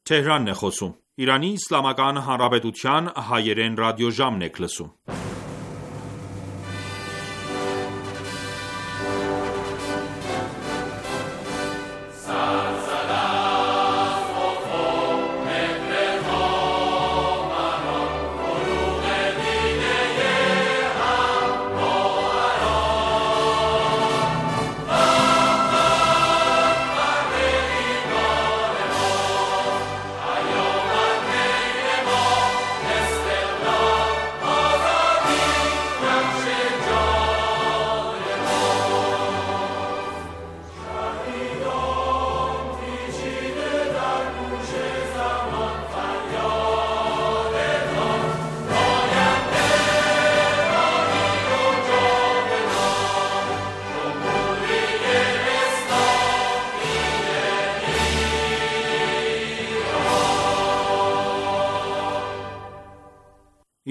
Թեհրանն է խոսում։ Իրանի Իսլամական Հանրապետության հայերեն ռադիոժամն եք լսում։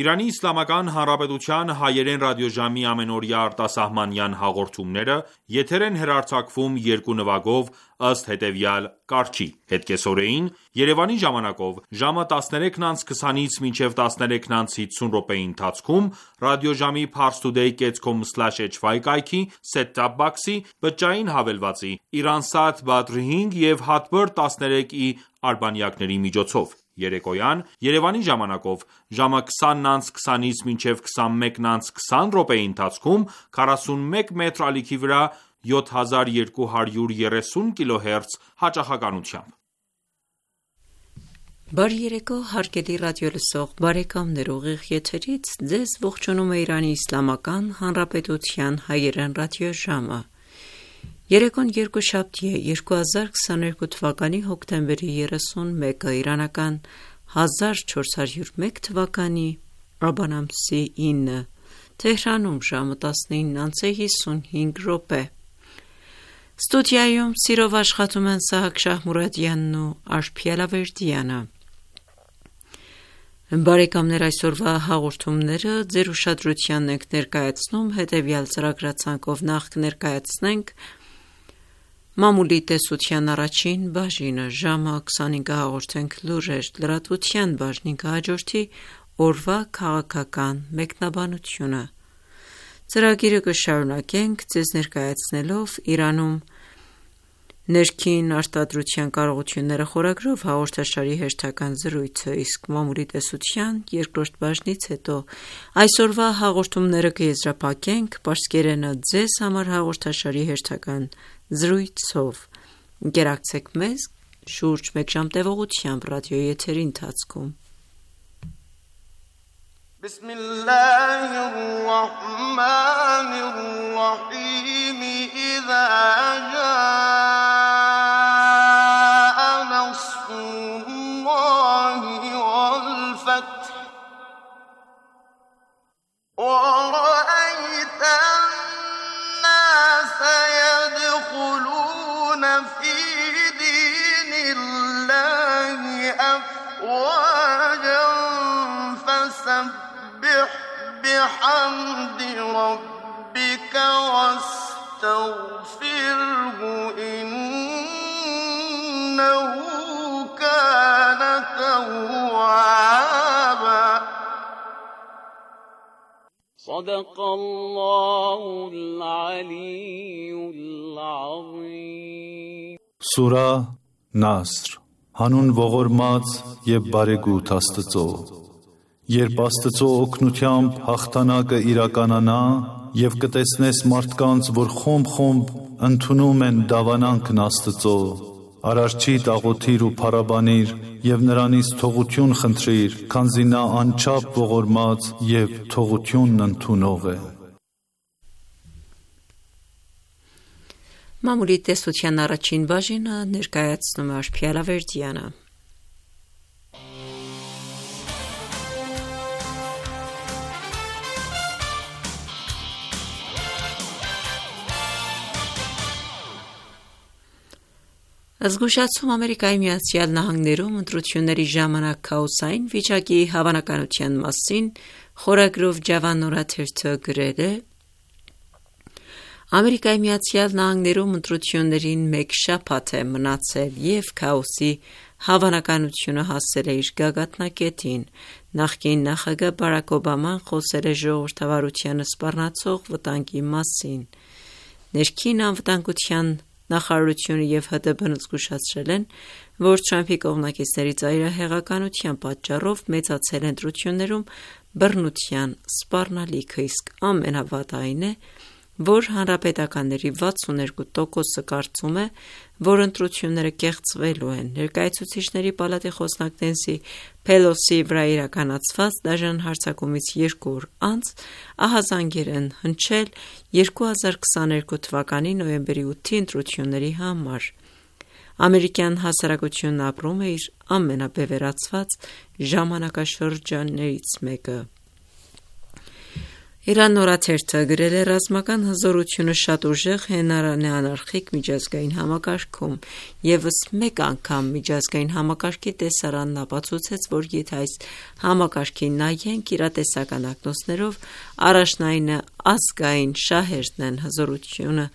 Իրանի Իսլամական Հանրապետության հայերեն ռադիոժամի ամենօրյա արտասահմանյան հաղորդումները եթեր են հեռարձակվում երկու նվագով ըստ հետևյալ կարգի. Հետկեսօրեին Երևանի ժամանակով ժամը 13:20-ից մինչև 13:50 րոպեի ընթացքում ռադիոժամի parstoday.com/hy կայքի set-top box-ի բջջային հավելվածի Iransat Badr 5 և Hotbird 13i արբանյակների միջոցով Երեկոյան Երևանի ժամանակով ժամը 20:20-ից մինչև 21:20 րոպեի ընթացքում 41 մետր ալիքի վրա 7230 kHz հաճախականությամբ։ Բարի երեկո հարգելի ռադիոլսող բարեկամներ, ուղիղ եթերից ձեզ ողջունում է Իրանի Իսլամական Հանրապետության հայերեն ռադիոժամը։ Երեկոն երկուշաբթի է 2022 թվականի հոկտեմբերի 31-ը իրանական 1401 թվականի Աբան ամսի 9 Թեհրանում ժամը 19:55 րոպե։ Ստուդիայում սիրով աշխատում են Սահակ Շահմուրադյանն ու Արփի Ալավերդյանը։ Բարեկամներ, այսօրվա հաղորդումները ձեր ուշադրությանն ենք ներկայացնում հետևյալ ծրագրացանկով նախ կներկայացնենք Մամուլի տեսության առաջին բաժինը, ժամը 25-ը հաղորդենք լուրեր, լրատվության բաժնին կհաջորդի օրվա քաղաքական մեկնաբանությունը։ Ծրագիրը կշարունակենք ձեզ ներկայացնելով Իրանում ներքին արտադրության կարողությունները խորագրով հաղորդաշարի հերթական զրույցը, իսկ մամուլի տեսության երկրորդ բաժնից հետո այսօրվա հաղորդումները կեզրափակենք պարսկերենը ձեզ համար հաղորդաշարի հերթական զրույցով։ Ընկերակցեք մեզ շուրջ մեկ ժամ տևողությամբ ռադիոյի եթերի ընթացքում։ Բիսմիլլահիռռահմանիռռահիմ Իզա ջա'a նասրուլլահի վալ ֆաթհ وَرَأَيْتَ النَّاسَ يَدْخُلُونَ فِي دِينِ اللَّهِ أَفْوَاجًا فَسَبِّحْ بِحَمْدِ رَبِّكَ وَاسْتَغْفِرْهُ إِنَّهُ كَانَ تَوَّابًا صدق الله العلي العظيم Սուրա Նասր Հանուն ողորմած և բարեգութ Աստծո Երբ Աստծո օգնությամբ հաղթանակը իրականանա և կտեսնես մարդկանց, որ խումբ ընդունում են դավանանքն Աստծո, Արարչիդ աղոթիր ու փառաբանիր և նրանից թողություն խնդրիր, քանզի նա անչափ ողորմած և թողությունն ընդունող է։ Մամուլի տեսության առաջին բաժինը ներկայացնում է Արփի Ալավերդյանը։ Զգուշացում Ամերիկայի Միացյալ Նահանգներում ընտրությունների ժամանակ քաոսային վիճակի հավանականության մասին խորագրով Ջավան օրաթերթը գրել է. Ամերիկայի Միացյալ Նահանգներում ընտրություններին մեկ շաբաթ է մնացել և քաոսի հավանականությունը հասել է իր գագաթնակետին։ Նախկին նախագահ Բարաք Օբաման խոսել է ժողովրդավարությանը սպառնացող վտանգի մասին։ Ներքին անվտանգության նախարարությունը և ՀԴԲ-ն զգուշացրել են, որ Թրամփի կողմնակիցների ծայրահեղականության պատճառով մեծացել է ընտրություններում բռնության սպառնալիքը, իսկ ամենավատը այն է, որ հանրապետականների 62%-ը կարծում է, որ ընտրությունները կեղծվելու են։ Ներկայացուցիչների պալատի խոսնակ Նենսի Փելոսիի վրա իրականացված դաժան հարձակումից 2 օր անց ահազանգեր են հնչել 2022 թվականի նոյեմբերի 8-ի ընտրությունների համար։ Ամերիկյան հասարակությունն ապրում է իր ամենաբևեռացված ժամանակաշրջաններից մեկը։ Իրան օրաթերթը գրել է ռազմական հզորությունը շատ ուժեղ հենարան է անարխիկ միջազգային համակարգում։ Եվս մեկ անգամ միջազգային համակարգի տեսարանն ապացուցեց, որ եթե այս համակարգին նայենք իրատեսական ակնոցներով, առաջնայինը ազգային շահերն են, հզորությունը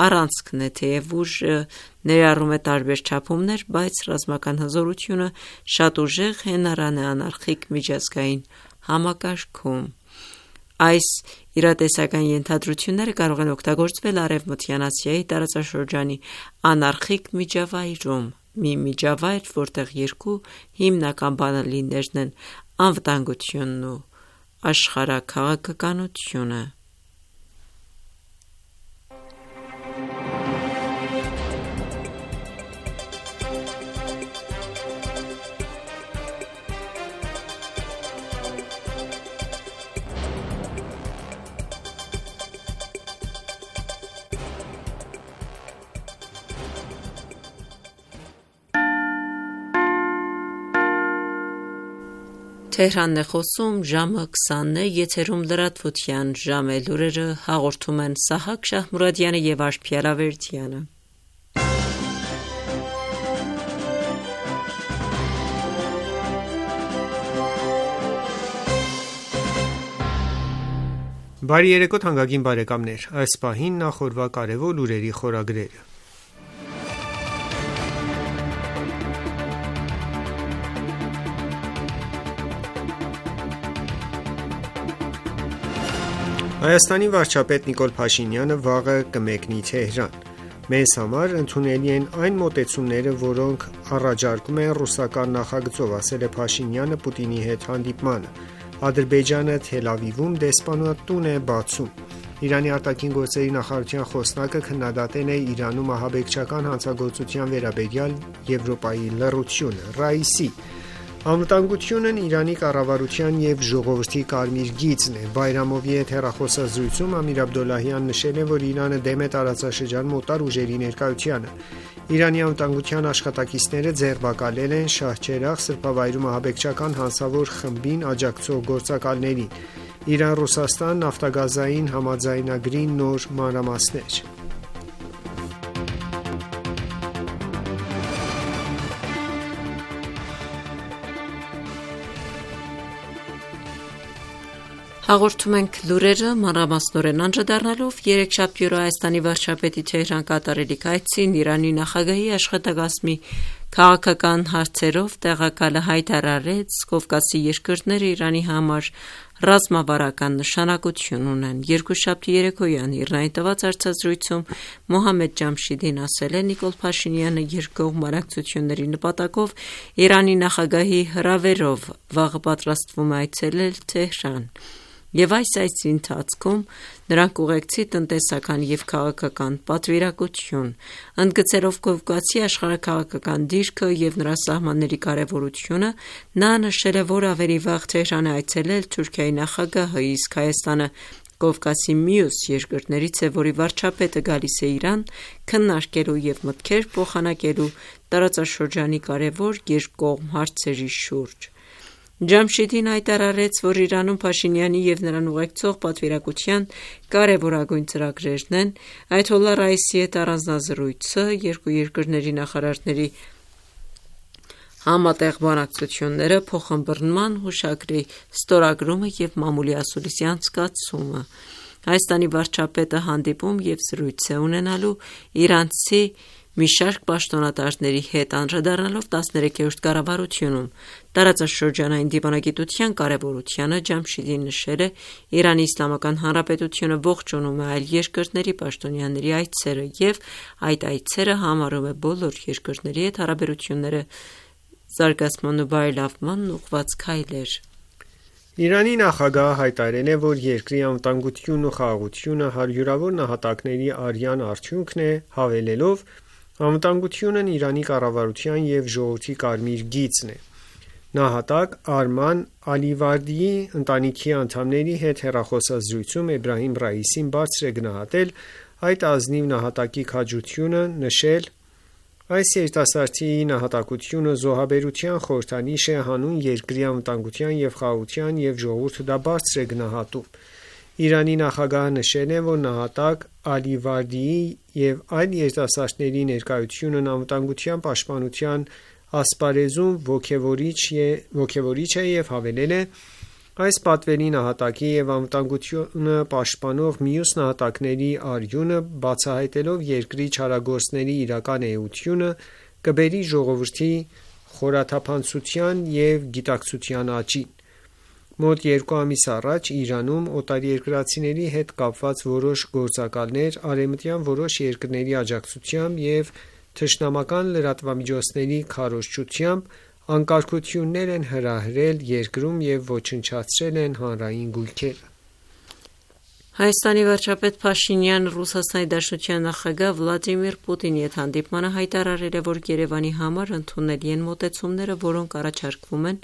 առանցքն է, թեև ուժը ներառում է տարբեր չափումներ, բայց ռազմական հզորությունը շատ ուժեղ հենարան է անարխիկ միջազգային համակարգում։ Այս իրատեսական ենթադրությունները կարող են օգտագործվել Արևմտյան Ասիայի տարածաշրջանի անարխիկ միջավայրում, մի միջավայր, որտեղ երկու հիմնական բանալիներն են անվտանգությունն ու աշխարհաքաղաքականությունը։ Թեհրանն է խոսում, ժամը 20-ն է, եթերում լրատվության ժամ է, լուրերը հաղորդում են Սահակ Շահմուրադյանը և Արփիա Լավերդյանը։ Բարի երեկո թանկագին բարեկամներ, այս պահին նախորդ կարևոր լուրերի խորագրերը։ Հայաստանի վարչապետ Նիկոլ Փաշինյանը վաղը կմեկնի Թեհրան։ Մեզ համար ընդունելի են այն մոտեցումները, որոնք առաջարկում են ռուսական նախագծով, ասել է Փաշինյանը Պուտինի հետ հանդիպմանը։ Ադրբեջանը Թել Ավիվում դեսպանատուն է բացում։ Իրանի արտաքին գործերի նախարարության խոսնակը քննադատել է Իրանում ահաբեկչական հանցագործության վերաբերյալ Եվրոպայի լռությունը։ Ռաիսի անվտանգությունն Իրանի կառավարության և ժողովրդի կարմիր գիծն է։ Բայրամովի հետ հեռախոսազրույցում Ամիր Աբդոլլահյանն նշել է, որ Իրանը դեմ է տարածաշրջանում օտար ուժերի ներկայությանը։ Իրանի անվտանգության աշխատակիցները ձերբակալել են Շահչերաղ սրբավայրում ահաբեկչական հանցավոր խմբին աջակցող գործակալներին։ Իրան-Ռուսաստան նավթագազային համաձայնագրի նոր մանրամասներ։ Հաղորդում ենք լուրերը մանրամասնորեն անդրադառնալով երեքշաբթի օրը Հայաստանի վարչապետի Թեհրան կատարելիք այցին Իրանի նախագահի աշխատակազմի քաղաքական հարցերով տեղակալը հայտարարեց, Կովկասի երկրները Իրանի համար ռազմավարական նշանակություն ունեն։ Երկուշաբթի երեկոյան Իրանի տված հարցազրույցում Մոհամմեդ Ջամշիդին ասել է, Նիկոլ Փաշինյանը երկկողմ բանակցությունների նպատակով Իրանի նախագահի հրավերով վաղը պատրաստվում է այցելել Թեհրան։ Եվ այս այցի ընթացքում նրանք ուղեկցի տնտեսական և քաղաքական պատվիրակություն, ընդգծելով Կովկասի աշխարհաքաղաքական դիրքը և նրա սահմանների կարևորությունը, նա նշել է, որ ավելի վաղ Թեհրան է այցելել Թուրքիայի նախագահը, իսկ Հայաստանը Կովկասի մյուս երկրներից է, որի վարչապետը գալիս է Իրան քննարկելու և մտքեր փոխանակելու տարածաշրջանի կարևոր երկկողմ հարցերի շուրջ։ Ջամշիդին հայտարարեց, որ Իրանում Փաշինյանի և նրան ուղեկցող պատվիրակության կարևորագույն ծրագրերն են Այաթոլլահ Ռաիսի հետ առանձնազրույցը, երկու երկրների նախարարների համատեղ բանակցությունները, փոխըմբռնման հուշագրի ստորագրումը և մամուլի ասուլիսի անցկացումը։ Հայաստանի վարչապետը հանդիպում և զրույց է ունենալու իրանցի մի շարք պաշտոնատարների հետ անդրադառնալով 13-րդ կառավարությունում տարածաշրջանային դիվանագիտության կարևորությանը, Ջամշիդի նշել է Իրանի Իսլամական Հանրապետությունը ողջունում է այլ երկրների պաշտոնյաների այցերը և այդ այցերը համարում է բոլոր երկրների հետ հարաբերությունները զարգացման ու բարելավմանն ուղղված քայլեր։ Իրանի նախագահը հայտարարել է, որ երկրի անվտանգությունն ու խաղաղությունը հարյուրավոր նահատակների արյան արդյունքն է, հավելելով. «Անվտանգությունն Իրանի կառավարության և ժողովրդի կարմիր գիծն է»։ Նահատակ Արման Ալիվարդիի ընտանիքի անդամների հետ հեռախոսազրույցում Էբրահիմ Ռայիսին բարձր է գնահատել այդ ազնիվ նահատակի քաջությունը, նշել. «Այս երիտասարդի նահատակությունը զոհաբերության խորհրդանիշ է հանուն երկրի անվտանգության և խաղաղության և ժողովուրդը դա բարձր է գնահատում»։ Իրանի նախագահը նշել է, որ նահատակ Ալիվարդիի և այլ երիտասարդների ներկայությունն անվտանգության պաշտպանության ասպարեզում ոգևորիչ է և հավելել է. «Այս պատվերի նահատակի և անվտանգությունը պաշտպանող մյուս նահատակների արյունը, բացահայտելով երկրի չարագործների իրական էությունը, կբերի ժողովրդի խորաթափանցության և գիտակցության աճին»։ Մոտ 2 ամիս առաջ Իրանում օտարերկրացիների հետ կապված որոշ գործակալներ արևմտյան որոշ երկրների աջակցությամբ և թշնամական լրատվամիջոցների քարոզչությամբ անկարգություններ են հրահրել երկրում և ոչնչացրել են հանրային գույքերը։ Հայաստանի վարչապետ Փաշինյանը Ռուսաստանի Դաշնության նախագահ Վլադիմիր Պուտինի հետ հանդիպմանը հայտարարել է, որ Երևանի համար ընդունելի են մոտեցումները, որոնք առաջարկվում են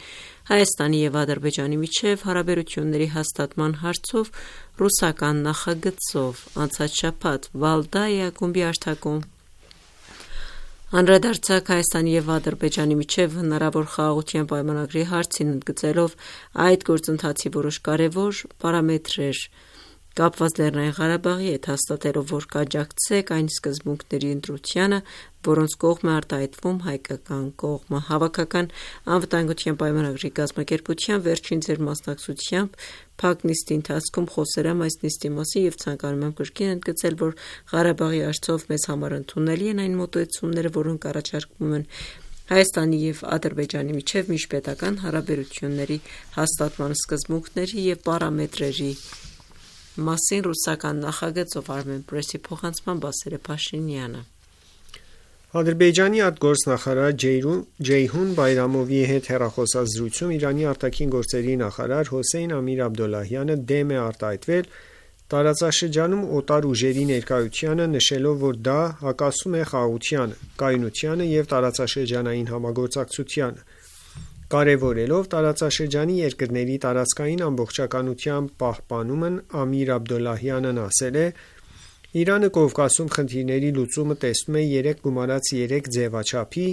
Հայաստանի և Ադրբեջանի միջև հարաբերությունների հաստատման հարցով ռուսական նախագծով։ Անցած շաբաթ Վալդայա ակումբի արտակում անդրադարձակ Հայաստանի և Ադրբեջանի միջև հնարավոր խաղաղության պայմանագրի հարցին, ընդգծելով այդ գործընթացի որոշ կարևոր պարամետրեր կապված Լեռնային Ղարաբաղի հետ, հաստատելով, որ կաջակցեք այն սկզբունքների ընտրությանը, որոնց կողմ է արտահայտվում հայկական կողմը։ Հավաքական անվտանգության պայմանագրի կազմակերպության վերջին ձեռնմասնակցությամբ փակ նիստի ընթացքում խոսել եմ այս նիստի մասին և ցանկանում եմ կրկին ընդգծել, որ Ղարաբաղի հարցով մեզ համար ընդունելի են այն մոտեցումները, որոնք առաջարկվում են Հայաստանի և Ադրբեջանի միջև միջպետական հարաբերությունների հաստատման սկզբունքների և պարամետրերի մասին ռուսական նախագծով։ Armenpress-ի փոխանցմամբ ասել է Փաշինյանը։ Ադրբեջանի արտգործնախարար Ջեյհուն Բայրամովի հետ հեռախոսազրույցում Իրանի արտաքին գործերի նախարար Հոսեյն Ամիր Աբդոլլահյանը դեմ է արտահայտվել տարածաշրջանում օտար ուժերի ներկայությանը, նշելով, որ դա հակասում է խաղաղությանը, կայունությանը և տարածաշրջանային համագործակցությանը։ Կարևորելով տարածաշրջանի երկրների տարածքային ամբողջականության պահպանումն, Ամիր Աբդոլլահյանն ասել է. «Իրանը Կովկասում խնդիրների լուծումը տեսնում է 3+3 ձևաչափի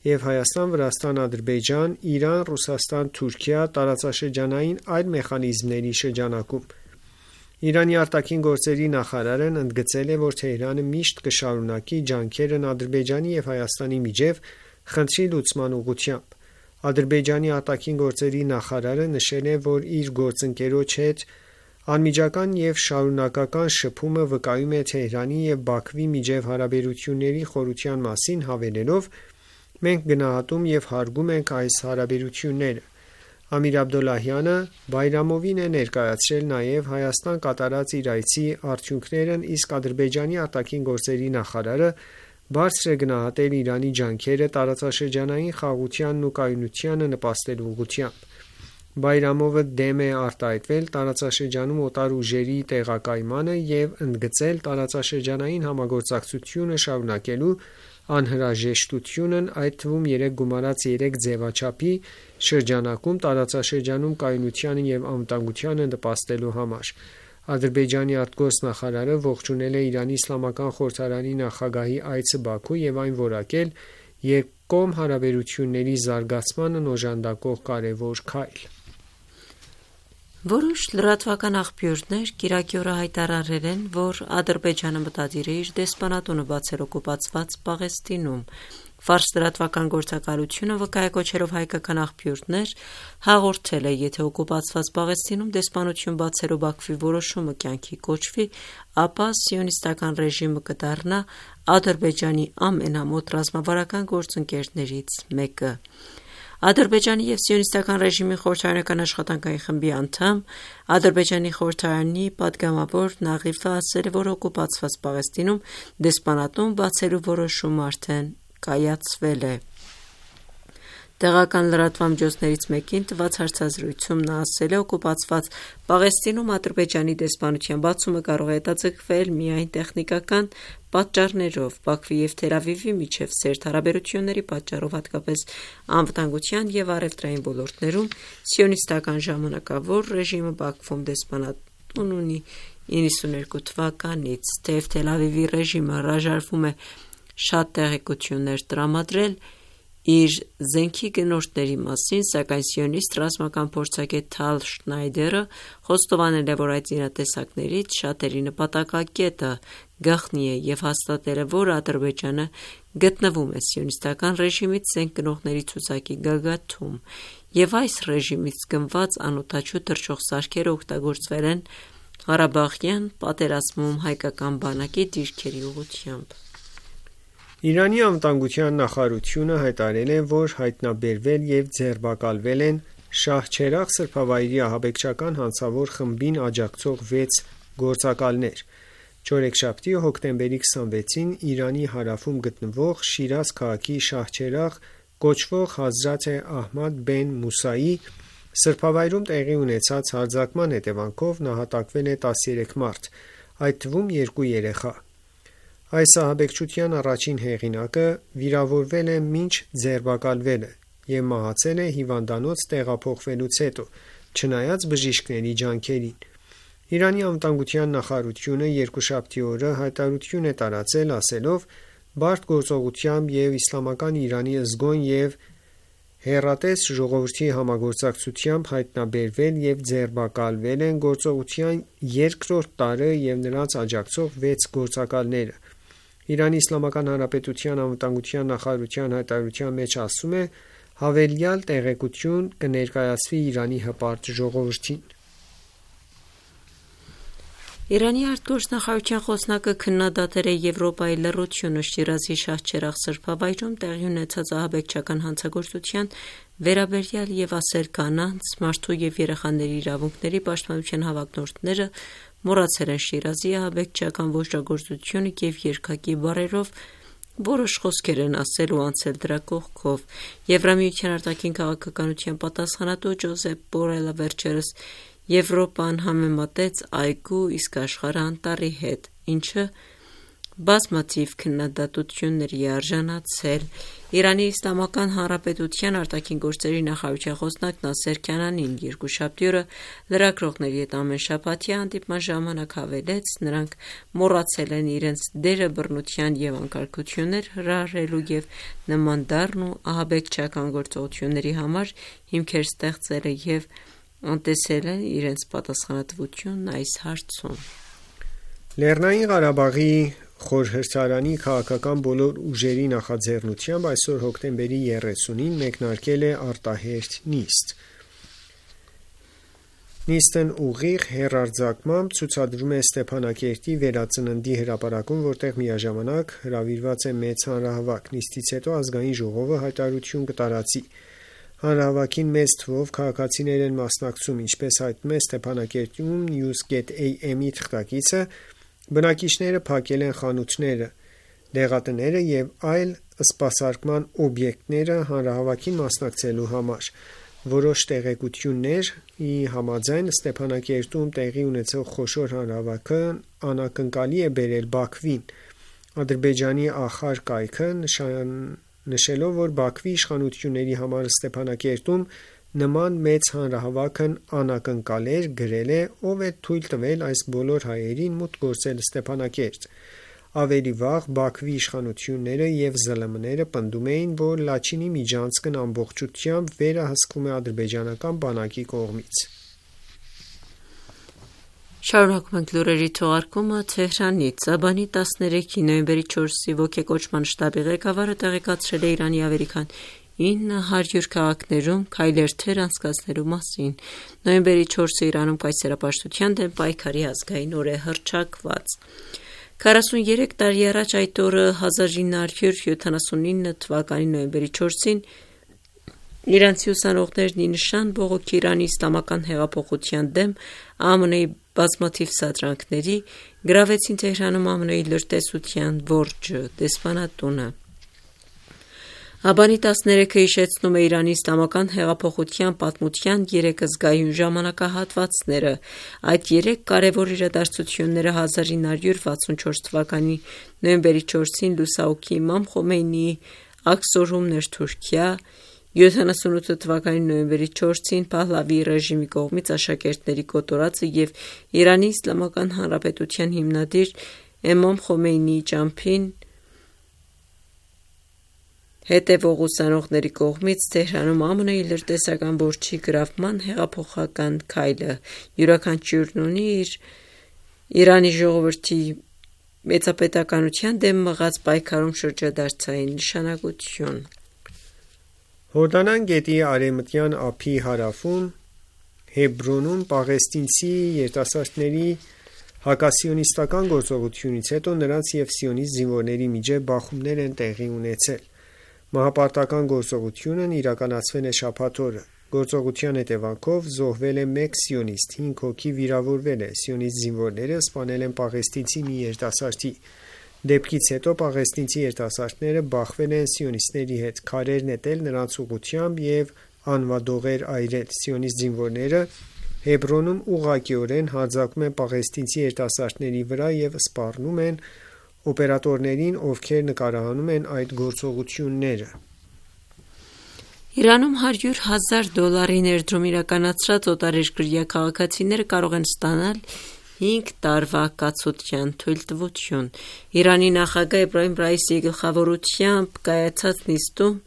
և Հայաստան, Վրաստան, Ադրբեջան, Իրան, Ռուսաստան, Թուրքիա տարածաշրջանային այլ մեխանիզմների շրջանակում»։ Իրանի արտաքին գործերի նախարարն ընդգծել է, որ Թեհրանը միշտ կշարունակի ջանքերն Ադրբեջանի և Հայաստանի միջև խնդրի լուծման ուղղությամբ։ Ադրբեջանի արտաքին գործերի նախարարը նշել է, որ իր գործընկերոջ հետ անմիջական և շարունակական շփումը վկայում է Թեհրանի և Բաքվի միջև հարաբերությունների խորության մասին, հավելելով. «Մենք գնահատում և հարգում ենք այս հարաբերությունները»։ Ամիր Աբդոլլահյանը Բայրամովին է ներկայացրել նաև Հայաստան կատարած իր այցի արդյունքներն, իսկ Ադրբեջանի արտաքին գործերի նախարարը բարձր է գնահատել Իրանի ջանքերը տարածաշրջանային խաղաղությանն ու կայունությանը նպաստելու ուղղությամբ։ Բայրամովը դեմ է արտահայտվել տարածաշրջանում օտար ուժերի տեղակայմանը և ընդգծել տարածաշրջանային համագործակցությունը շարունակելու անհրաժեշտությունն, այդ թվում 3+3 ձևաչափի շրջանակում տարածաշրջանում կայունությանը և անվտանգությանը նպաստելու համար։ Ադրբեջանի արտգործնախարարը ողջունել է Իրանի Իսլամական խորհրդարանի նախագահի այցը Բաքու և այն որակել երկկողմ հարաբերությունների զարգացմանն օժանդակող կարևոր քայլ։ Որոշ լրատվական աղբյուրներ կիրակի օրը հայտարարել են, որ Ադրբեջանը մտադիր է իր դեսպանատունը բացել օկուպացված Պաղեստինում։ Ֆարս լրատվական գործակալությունը վկայակոչելով հայկական աղբյուրներ հաղորդել է, եթե օկուպացված Պաղեստինում դեսպանություն բացելու Բաքվի որոշումը կյանքի կոչվի, ապա սիոնիստական ռեժիմը կդառնա Ադրբեջանի ամենամոտ ռազմավարական գործընկերներից մեկը։ Ադրբեջանի և սիոնիստական ռեժիմի խորհրդարանական աշխատանքային խմբի անդամ, Ադրբեջանի խորհրդարանի պատգամավոր Նաղիֆը ասել է, որ օկուպացված Պաղեստինում դեսպանատուն բացելու որոշումը արդեն կայացվել է։ Տեղական լրատվամիջոցներից մեկին տված հարցազրույցում նա ասել է, օկուպացված Պաղեստինում Ադրբեջանի դեսպանության բացումը կարող է հետաձգվել միայն տեխնիկական պատճառներով, Բաքվի և Թել Ավիվի միջև սերտ հարաբերությունների պատճառով, հատկապես անվտանգության և առևտրային ոլորտներում, սիոնիստական ժամանակավոր ռեժիմը Բաքվում դեսպանատուն ունի 92 թվականից, թեև Թել Ավիվի ռեժիմը հրաժարվում է շատ տեղեկություններ տրամադրել իր զենքի գնորդների մասին, սակայն սիոնիստ ռազմական փորձագետ Թալ Շնայդերը խոստովանել է, որ այդ զինատեսակներից շատերի նպատակակետը գաղտնի է և հաստատել է, որ Ադրբեջանը գտնվում է սիոնիստական ռեժիմից զենք գնողների ցուցակի գագաթում, և այս ռեժիմից գնված անօդաչու թռչող սարքերը օգտագործվել են Ղարաբաղյան պատերազմում հայկական բանակի դիրքերի ուղղությամբ։ Իրանի անվտանգության նախարարությունը հայտարարել է, որ հայտնաբերվել և ձերբակալվել են Շահչերաղ սրբավայրի ահաբեկչական հանցավոր խմբին աջակցող 6 գործակալներ։ Չորեքշաբթի հոկտեմբերի 26-ին Իրանի հարավում գտնվող Շիրազ քաղաքի Շահչերաղ կոչվող Հազրաթ Ահմադ բեն Մուսայի սրբավայրում տեղի ունեցած հարձակման հետևանքով նահատակվել է 13 մարդ, այդ թվում 2 երեխա։ Այս ահաբեկչության առաջին հեղինակը վիրավորվել է մինչ ձերբակալվելը և մահացել է հիվանդանոց տեղափոխվելուց հետո, չնայած բժիշկների ջանքերին։ Իրանի անվտանգության նախարարությունը երկուշաբթի օրը հայտարարություն է տարածել, ասելով. «Բարդ գործողությամբ և Իսլամական Իրանի զգոն և հեռատես ժողովրդի համագործակցությամբ հայտնաբերվել և ձերբակալվել են գործողության երկրորդ տարը և նրանց աջակցող 6 գործակալները»։ Իրանի Իսլամական Հանրապետության անվտանգության նախարարության հայտարարության մեջ ասում է. «Հավելյալ տեղեկություն կներկայացվի Իրանի հպարտ ժողովրդին»։ Իրանի արտգործնախարարության խոսնակը քննադատել է Եվրոպայի լռությունը Շիրազի Շահչերաղ սրբավայրում տեղի ունեցած ահաբեկչական հանցագործության վերաբերյալ և ասել. «Կանանց, մարդու և երեխաների իրավունքների պաշտպանության հավակնորդները մոռացել են Շիրազի ահաբեկչական ոճրագործությունը և երկակի բառերով որոշ խոսքեր են ասել ու անցել դրա կողքով»։ Եվրամիության արտաքին քաղաքականության պատասխանատու Ջոզեպ Բորելը վերջերս Եվրոպան համեմատեց այգու, իսկ աշխարհը անտառի հետ, ինչը բազմաթիվ քննադատությունների է արժանացել։ Իրանի Իսլամական Հանրապետության արտաքին գործերի նախարարության խոսնակ Նասեր Քանանին երկուշաբթի օրը լրագրողների հետ ամենշաբաթյա հանդիպման ժամանակ հավելեց. «Նրանք մոռացել են իրենց դերը բռնության և անկարգություններ հրահրելու և նման դառն ու ահաբեկչական գործողությունների համար հիմքեր ստեղծելը և անտեսել են իրենց պատասխանատվությունն այս հարցում»։ Լեռնային Ղարաբաղի խորհրդարանի քաղաքական բոլոր ուժերի նախաձեռնությամբ այսօր հոկտեմբերի 30-ին մեկնարկել է արտահերթ նիստ։ Նիստն ուղիղ հեռարձակմամբ ցուցադրում է Ստեփանակերտի վերածննդի հրապարակում, որտեղ միաժամանակ հրավիրված է մեծ հանրահավաք։ Նիստից հետո Ազգային ժողովը հայտարարություն կտարածի։ Հանրահավաքին մեծ թվով քաղաքացիներ են մասնակցում, ինչպես հայտնում է Ստեփանակերտում News.am-ի թղթակիցը, բնակիչները փակել են խանութները, դեղատները և այլ սպասարկման օբյեկտները հանրահավաքին մասնակցելու համար։ Որոշ տեղեկությունների համաձայն Ստեփանակերտում տեղի ունեցող խոշոր հանրահավաքն անակնկալի է բերել Բաքվին։ Ադրբեջանի Ախար կայքը նշելով, որ Բաքվի իշխանությունների համար Ստեփանակերտում նման մեծ հանրահավաքն անակնկալ էր, գրել է. «Ով է թույլ տվել այս բոլոր հայերին մուտք գործել Ստեփանակերտ»։ Ավելի վաղ Բաքվի իշխանությունները և ԶԼՄ-ները պնդում էին, որ Լաչինի միջանցքն ամբողջությամբ վերահսկվում է ադրբեջանական բանակի կողմից։ Շարունակում ենք լուրերի թողարկումը Թեհրանից։ Աբանի 13-ի նոյեմբերի 4-ի ոգեկոչման շտաբի ղեկավարը տեղեկացրել է Իրանի ավելի քան 900 քաղաքներում քայլերթեր անցկացնելու մասին։ Նոյեմբերի 4-ը Իրանում կայսերապաշտության դեմ պայքարի ազգային օր է հռչակված։ 43 տարի առաջ այդ օրը 1979 թվականի նոյեմբերի 4-ին իրանցի ուսանողներն ի նշան բողոքի Իրանի իսլամական հեղափոխության դեմ ԱՄՆ-ի բազմաթիվ սադրանքների գրավեցին Թեհրանում ԱՄՆ-ի լրտեսության որջը դեսպանատունը։ Աբանի 13-ը հիշեցնում է Իրանի իսլամական հեղափոխության պատմության 3 զգայուն ժամանակահատվածները։ Այդ 3 կարևոր իրադարձությունները 1964 թվականի նոյեմբերի 4-ին լուսահոգի Իմամ Խոմեյնիի աքսորումն էր Թուրքիա, 78 թվականի նոյեմբերի 4-ին Փահլավիի ռեժիմի կողմից աշակերտների կոտորածը և Իրանի Իսլամական Հանրապետության հիմնադիր Իմամ Խոմեյնիի ճամփին հետևող ուսանողների կողմից Թեհրանում ԱՄՆ-ի լրտեսական որջի գրավման հեղափոխական քայլը յուրաքանչյուրն ունի իր Իրանի ժողովրդի մեծապետականության դեմ մղած պայքարում շրջադարձային նշանակություն։ Հորդանան գետի արևմտյան ափի հարավում Հեբրոնում պաղեստինցի երիտասարդների հակասիոնիստական գործողությունից հետո նրանց և սիոնիստ զինվորների միջև բախումներ են տեղի ունեցել։ Մահապարտական գործողությունն իրականացվել է շաբաթ օրը։ Գործողության հետևանքով զոհվել է 1 սիոնիստ, 5 հոգի վիրավորվել է։ Սիոնիստ զինվորները սպանել են պաղեստինցի մի երիտասարդի։ Դեպքից հետո պաղեստինցի երիտասարդները բախվել են սիոնիստների հետ, քարեր նետել նրանց ուղղությամբ և անվադողեր այրել։ Սիոնիստ զինվորները Հեբրոնում ուղղակիորեն հարձակվում են պաղեստինցի երիտասարդների վրա և սպառնում են օպերատորներին, ովքեր նկարահանում են այդ գործողությունները։ Իրանում $100,000 ներդրում իրականացրած օտարերկրյա քաղաքացիները կարող են ստանալ 5 տարվա կացության թույլտվություն։ Իրանի նախագահ Էբրահիմ Ռայիսիի գլխավորությամբ կայացած նիստում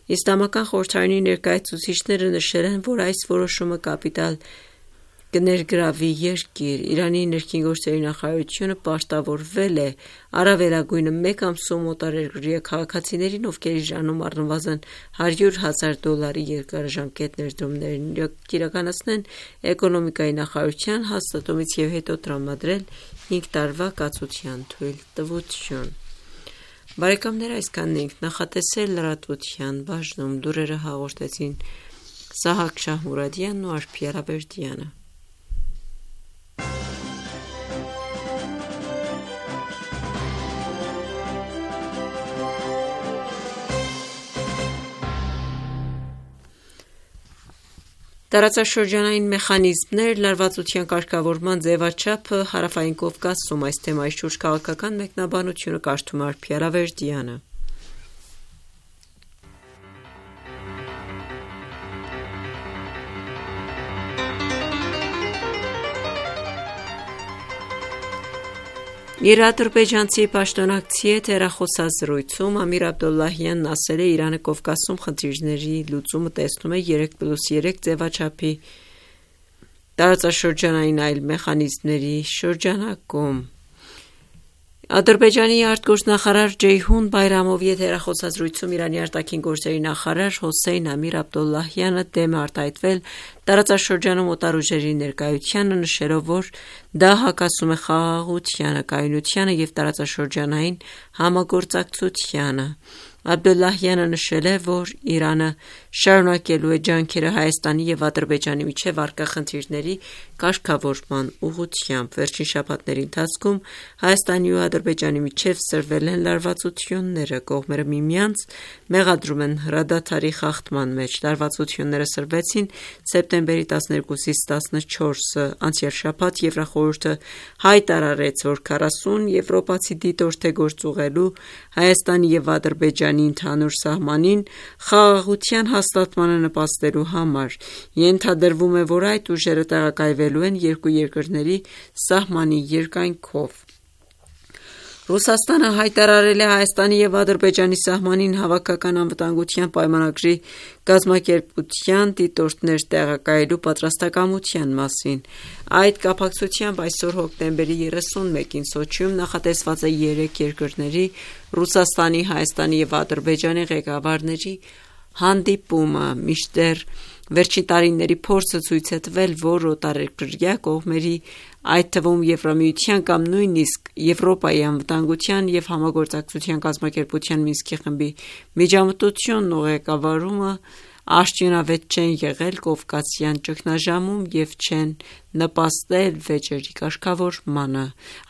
Իսլամական խորհրդարանի ներկայացուցիչները նշել են, որ այս որոշումը կապիտալ կներգրավի երկիր։ Իրանի ներքին գործերի նախարարությունը պարտավորվել է առավելագույնը 1 ամսում օտարերկրյա քաղաքացիներին, ովքեր Իրանում առնվազն $100,000 երկարաժամկետ ներդրումներ իրականացնեն, էկոնոմիկայի նախարարության հաստատումից և հետո տրամադրել 5 տարվա կացության թույլտվություն։ Բարեկամներ, այսքանն ենք նախատեսել լրատվության բաժնում։ Լուրերը հաղորդեցին Սահակ Շահմուրադյանն ու Արփի Արաբերդյանը։ Տարածաշրջանային մեխանիզմներ, լարվածության կարգավորման ձևաչափը Հարավային Կովկասում։ Այս թեմայի շուրջ քաղաքական մեկնաբանությունը կարդում է Արփի Արաբերդյանը։ Իր ադրբեջանցի պաշտոնակցի հետ հեռախոսազրույցում Ամիր Աբդոլլահյանն ասել է, Իրանը Կովկասում խնդիրների լուծումը տեսնում է 3+3 ձևաչափի տարածաշրջանային այլ մեխանիզմների շրջանակում։ Ադրբեջանի արտգործնախարար Ջեյհուն Բայրամովի հետ հեռախոսազրույցում Իրանի արտաքին գործերի նախարար Հոսեյն Ամիր Աբդոլլահյանը դեմ է արտահայտվել տարածաշրջանում օտարուժերի ներկայությանը, նշելով, որ դա հակասում է խաղաղությանը, կայունությանը և տարածաշրջանային համագործակցությանը։ Աբդոլլահյանը նշել է, որ Իրանը շարունակելու է ջանքերը Հայաստանի և Ադրբեջանի միջև առկա խնդիրների կարգավորման ուղղությամբ։ Վերջին շաբաթների ընթացքում Հայաստանի ու Ադրբեջանի միջև սրվել են լարվածությունները։ Կողմերը միմյանց մեղադրում են հրադադարի խախտման մեջ։ Լարվածությունները սրվեցին սեպտեմբերի 12-ից 14-ը։ Անցյալ շաբաթ Եվրախորհուրդը հայտարարեց, որ 40 եվրոպացի դիտորդ է գործուղելու Հայաստանի և Ադրբեջանի ընդհանուր սահմանին խաղաղության հաստատմանը նպաստելու համար։ Ենթադրվում է, որ այդ ուժերը տեղակայվելու են երկու երկրների սահմանի երկայնքով։ Ռուսաստանը հայտարարել է Հայաստանի և Ադրբեջանի սահմանին հավաքական անվտանգության պայմանագրի կազմակերպության դիտորդներ տեղակայելու պատրաստակամության մասին։ Այդ կապակցությամբ այսօր հոկտեմբերի 31-ին Սոչիում նախատեսված է 3 երկրների՝ Ռուսաստանի, Հայաստանի և Ադրբեջանի ղեկավարների հանդիպումը, մինչդեռ վերջին տարիների փորձը ցույց է տվել, որ օտարերկրյա կողմերի, այդ թվում Եվրամիության կամ նույնիսկ Եվրոպայի անվտանգության և համագործակցության կազմակերպության Մինսկի խմբի միջամտությունն ու ղեկավարումը արդյունավետ չեն եղել կովկասյան ճգնաժամում և չեն նպաստել վեճերի կարգավորմանը։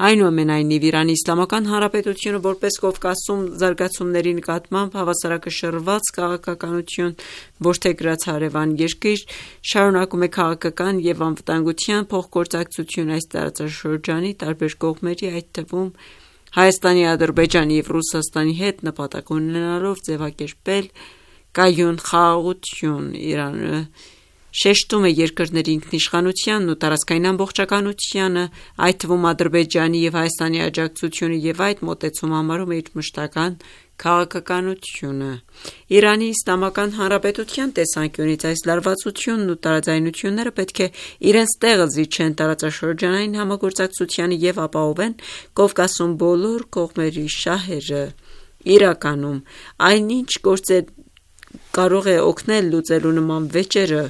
Այնուամենայնիվ, Իրանի Իսլամական Հանրապետությունը, որպես Կովկասում զարգացումների նկատմամբ հավասարակշռված քաղաքականություն որդեգրած հարևան երկիր, շարունակում է քաղաքական և անվտանգության փոխգործակցություն այս տարածաշրջանի տարբեր կողմերի, այդ թվում Հայաստանի, Ադրբեջանի և Ռուսաստանի հետ նպատակ ունենալով ձևակերպել կայուն խաղաղություն։ Իրանը շեշտում է երկրների ինքնիշխանությանն ու տարածքային ամբողջականությանը, այդ թվում Ադրբեջանի և Հայաստանի աջակցությունը և այդ մոտեցումը համարում է իր մշտական քաղաքականությունը։ Իրանի Իսլամական Հանրապետության տեսանկյունից այս լարվածությունն ու տարաձայնությունները պետք է իրենց տեղը զիջեն տարածաշրջանային համագործակցությանը և ապահովեն Կովկասում բոլոր կողմերի շահերը։ Իրականում, այնինչ գործել կարող է օգնել լուծելու նման վեճերը,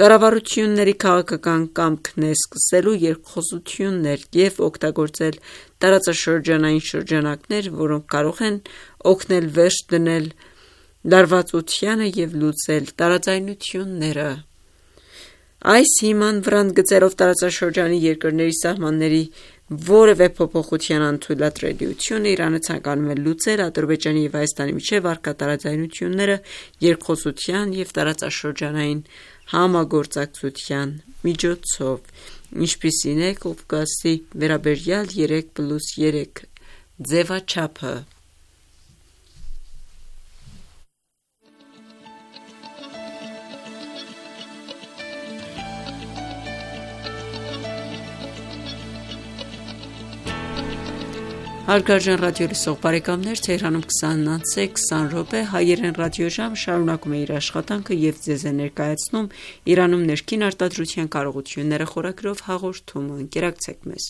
կառավարությունների քաղաքական կամքն է սկսելու երկխոսություններ և օգտագործել տարածաշրջանային շրջանակներ, որոնք կարող են օգնել վերջ դնել լարվածությանը և լուծել տարաձայնությունները։ Այս հիման վրա ընդգծելով տարածաշրջանի երկրների սահմանների որևէ փոփոխության անթույլատրելիությունը, Իրանը ցանկանում է լուծել Ադրբեջանի և Հայաստանի միջև առկա տարաձայնությունները երկխոսության և տարածաշրջանային համագործակցության միջոցով, ինչպիսին է Կովկասի վերաբերյալ 3+3 ձևաչափը։ Հարգարժան ռադիոլսող բարեկամներ, Թեհրանում 20:20 հայերեն ռադիոժամ շարունակում է իր աշխատանքը և ձեզ է ներկայացնում Իրանում ներքին արտադրության կարողությունները խորագրով հաղորդումը։ Ընկերակցեք մեզ։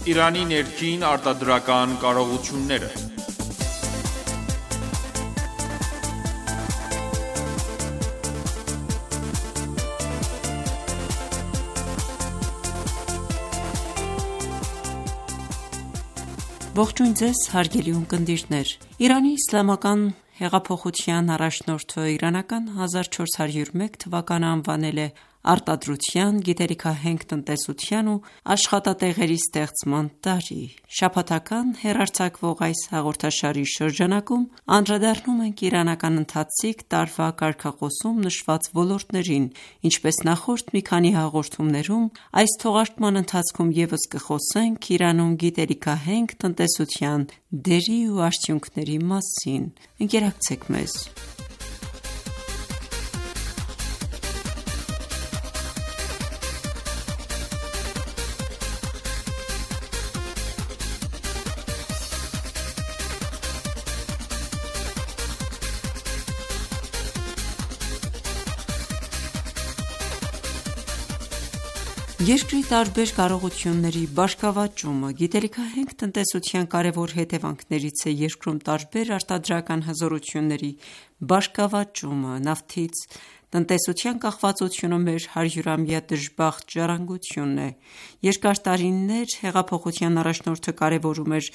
Իրանի ներքին արտադրական կարողությունները։ Ողջույն ձեզ հարգելի ունկնդիրներ։ Իրանի իսլամական հեղափոխության առաջնորդը իրանական 1401 թվականը անվանել է արտադրության, գիտելիքահենք տնտեսության ու աշխատատեղերի ստեղծման տարի։ Շաբաթական հեռարձակվող այս հաղորդաշարի շրջանակում անդրադառնում ենք իրանական ընթացիկ տարվա կարգախոսում նշված ոլորտներին, ինչպես նախորդ մի քանի հաղորդումներում, այս թողարկման ընթացքում ևս կխոսենք Իրանում գիտելիքահենք տնտեսության դերի ու արդյունքների մասին։ Ընկերակցեք մեզ։ Երկրի տարբեր կարողությունների բարգավաճումը գիտելիքահենք տնտեսության կարևոր հետևանքներից է երկրում տարբեր արտադրական հզորությունների բարգավաճումը։ Նավթից տնտեսության կախվածությունը մեր 100-ամյա դժբախտ ժառանգությունն է։ Երկար տարիներ հեղափոխության առաջնորդը կարևորում էր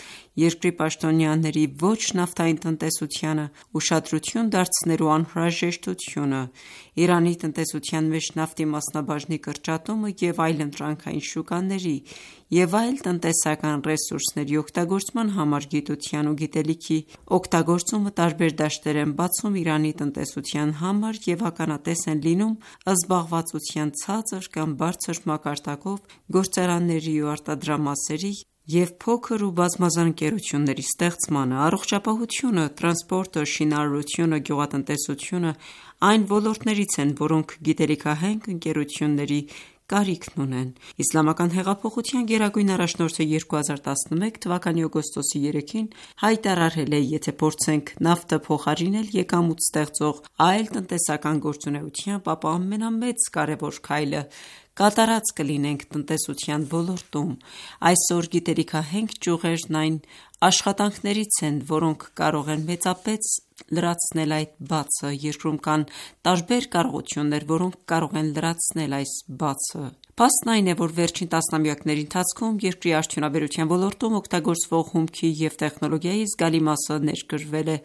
երկրի պաշտոնյաների ոչ նավթային տնտեսությանը ուշադրություն դարձնելու անհրաժեշտությունը։ Իրանի տնտեսության մեջ նավթի մասնաբաժնի կրճատումը և այլընտրանքային շուկաների և այլ տնտեսական ռեսուրսների օգտագործման համար գիտության ու գիտելիքի օգտագործումը տարբեր դաշտեր են բացում Իրանի տնտեսության համար և ականատես են լինում զբաղվածության ցածր կամ բարձր մակարդակով, գործարանների ու արտադրամասերի և փոքր ու բազմազան ընկերությունների ստեղծմանը: Առողջապահությունը, տրանսպորտը, շինարարությունը, գյուղատնտեսությունը այն ոլորտներից են, որոնք գիտելիքահենք ընկերությունների կարիքն ունեն: Իսլամական հեղափոխության գերագույն առաջնորդը 2011 թվականի օգոստոսի 3-ին հայտարարել է. «Եթե փորձենք նավթը փոխարինել եկամուտ ստեղծող այլ տնտեսական գործունեությամբ, ապա ամենամեծ կարևոր քայլը կատարած կլինենք տնտեսության ոլորտում»: Այսօր գիտելիքահենք ճյուղերն այն աշխատանքներից են, որոնք կարող են մեծապես լրացնել այդ բացը: Երկրում կան տարբեր կարողություններ, որոնք կարող են լրացնել այս բացը: Փաստն այն է, որ վերջին տասնամյակների ընթացքում երկրի արդյունաբերության ոլորտում օգտագործվող հումքի և տեխնոլոգիայի զգալի մասը ներկրվել է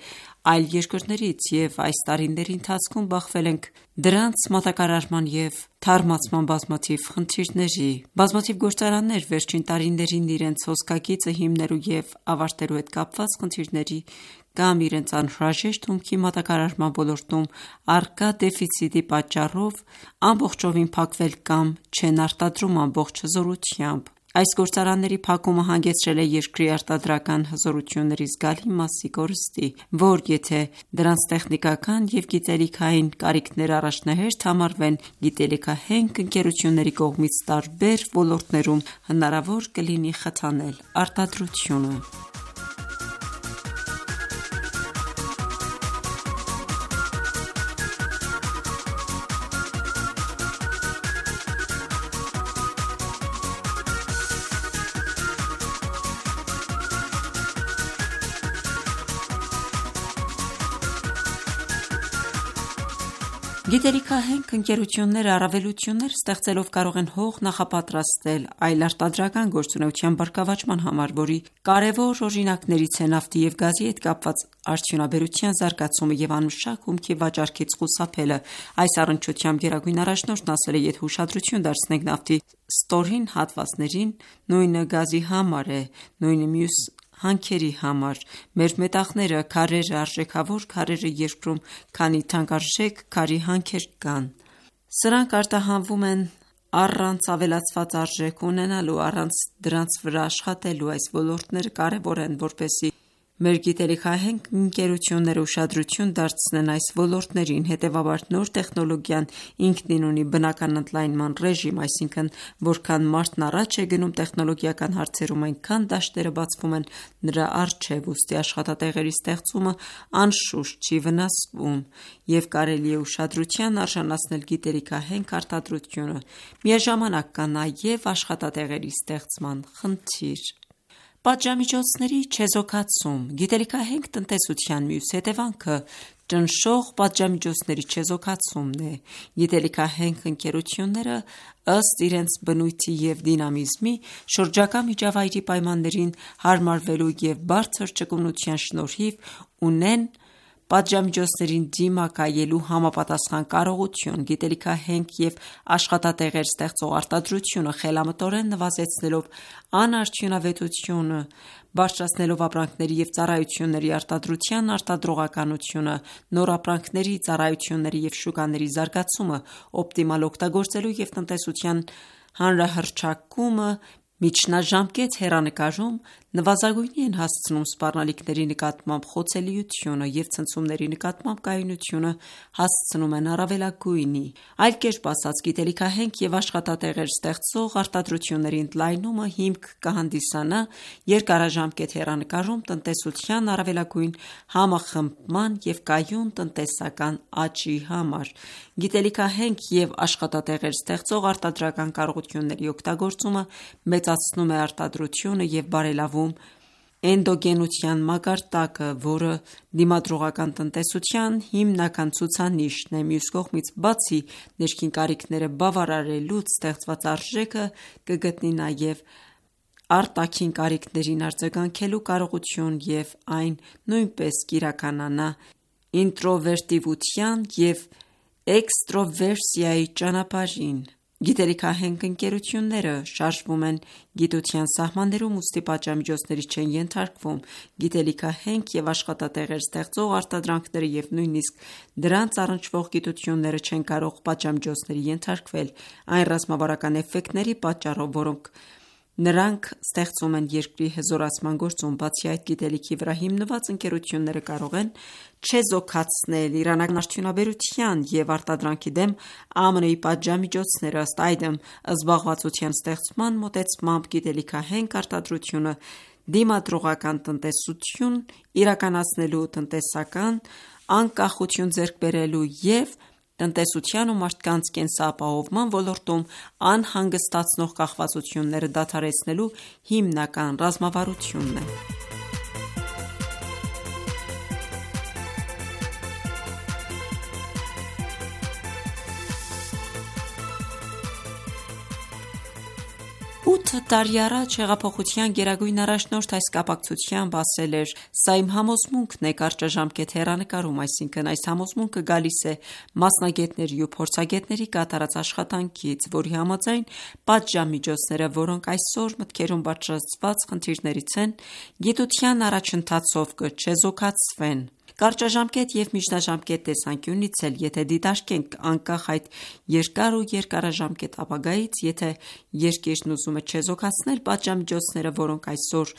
այլ երկրներից, և այս տարիների ընթացքում բախվել ենք դրանց մատակարարման և թարմացման բազմաթիվ խնդիրների: Բազմաթիվ գործարաններ վերջին տարիներին իրենց հոսքագիծը հիմնելու և ավարտելու հետ կապված խնդիրների կամ իրենց անհրաժեշտ հումքի մատակարարման ոլորտում առկա դեֆիցիտի պատճառով ամբողջովին փակվել կամ չեն արտադրում ամբողջ հզորությամբ: Այս գործարանների փակումը հանգեցրել է երկրի արտադրական հզորությունների զգալի մասի կորստի, որ եթե դրանց տեխնիկական և գիտելիքային կարիքները առաջնահերթ համարվեն, գիտելիքահենք ընկերությունների կողմից տարբեր ոլորտներում հնարավոր կլինի խթանել արտադրությունը: Գիտելիքահենք ընկերությունները առավելություններ ստեղծելով կարող են հող նախապատրաստել այլ արտադրական գործունեության բարգավաճման համար, որի կարևոր օրինակներից է նավթի և գազի հետ կապված արդյունաբերության զարգացումը և անմշակ հումքի վաճառքից խուսափելը: Այս առնչությամբ գերագույն առաջնորդն ասել է. «Եթե ուշադրություն դարձնենք նավթի ստորին հատվածներին, նույնը գազի համար է, նույնը մյուս հանքերի համար: Մեր մետաղները, քարերը, արժեքավոր քարերը երկրում քանի թանկարժեք քարի հանքեր կան: Սրանք արտահանվում են առանց ավելացված արժեք ունենալու, առանց դրանց վրա աշխատելու: Այս ոլորտները կարևոր են, որպեսզի մեր գիտելիքահենք ընկերությունները ուշադրություն դարձնեն այս ոլորտներին: Հետևաբար նոր տեխնոլոգիան ինքնին ունի բնական ընդլայնման ռեժիմ, այսինքն որքան մարդն առաջ է գնում տեխնոլոգիական հարցերում, այնքան դաշտերը բացվում են նրա առջև: Ուստի աշխատատեղերի ստեղծումը անշուշտ չի վնասվում և կարելի է ուշադրության արժանացնել գիտելիքահենք արտադրությունը: Միաժամանակ կա նաև աշխատատեղերի ստեղծման խնդիր: Պատժամիջոցների չեզոքացում: Գիտելիքահենք տնտեսության մյուս հետևանքը ճնշող պատժամիջոցների չեզոքացումն է: Գիտելիքահենք ընկերությունները ըստ իրենց բնույթի և դինամիզմի, շրջակա միջավայրի պայմաններին հարմարվելու և բարձր ճկունության շնորհիվ ունեն պատժամիջոցներին դիմակայելու համապատասխան կարողություն: Գիտելիքահենք և աշխատատեղեր ստեղծող արտադրությունը խելամտորեն նվազեցնելով անարդյունավետությունը, բարձրացնելով ապրանքների և ծառայությունների արտադրության արտադրողականությունը, նոր ապրանքների, ծառայությունների և շուկաների զարգացումը, օպտիմալ օգտագործելու և տնտեսության հանրահռչակումը միջնաժամկետ հեռանկարում նվազագույնի են հասցնում սպառնալիքների նկատմամբ խոցելիությունը և ցնցումների նկատմամբ կայունությունը հասցնում են առավելագույնի: Այլ կերպ ասած, գիտելիքահենք և աշխատատեղեր ստեղծող արտադրությունների ընդլայնումը հիմք կհանդիսանա երկարաժամկետ հեռանկարում տնտեսության առավելագույն համախմբման և կայուն տնտեսական աճի համար: Գիտելիքահենք և աշխատատեղեր ստեղծող արտադրական կարողությունների օգտագործումը մեծացնում է արտադրությունը և բարելավում էնդոգենության մակարդակը, որը դիմադրողական տնտեսության հիմնական ցուցանիշն է: Մյուս կողմից, բացի ներքին կարիքները բավարարելուց, ստեղծված արժեքը կգտնի նաև արտաքին կարիքներին արձագանքելու կարողություն և այն նույնպես կիրականանա ինտրովերտիվության և էքստրովերսիայի ճանապարհին: Գիտելիքահենք ընկերությունները շարժվում են գիտության սահմաններում, ուստի պատժամիջոցների չեն ենթարկվում: Գիտելիքահենք և աշխատատեղեր ստեղծող արտադրանքները և նույնիսկ դրանց առնչվող գիտությունները չեն կարող պատժամիջոցների ենթարկվել այն ռազմավարական էֆեկտների պատճառով, որոնք Նրանք ստեղծում են երկրի հզորացման գործում, բացի այդ գիտելիքի վրա հիմնված ընկերությունները կարող են չեզոքացնել իրանական արդյունաբերության և արտադրանքի դեմ ԱՄՆ-ի պատժամիջոցները, ըստ այդմ, զբաղվածության ստեղծման մոտեցմամբ գիտելիքահենք արտադրությունը դիմադրողական տնտեսություն իրականացնելու, տնտեսական անկախություն ձեռք բերելու և տնտեսության ու մարդկանց կենսապահովման ոլորտում անհանգստացնող կախվածությունները դադարեցնելու հիմնական ռազմավարությունն է։ 8 տարի առաջ հեղափոխության գերագույն առաջնորդ այս կապակցությամբ ասել էր. «Սա իմ համոզմունքն է կարճաժամկետ հեռանկարում, այսինքն այս համոզմունքը գալիս է մասնագետների ու փորձագետների կատարած աշխատանքից, որի համաձայն պատժամիջոցները, որոնք այսօր մտքերում բարձրացված խնդիրներից են, գիտության առաջընթացով կչեզոքացվեն։ Կարճաժամկետ և միջնաժամկետ տեսանկյունից էլ, եթե դիտարկենք անկախ այդ երկար ու երկարաժամկետ ապագայից, եթե երկիրն ուզում է չեզոքացնել պատժամիջոցները, որոնք այսօր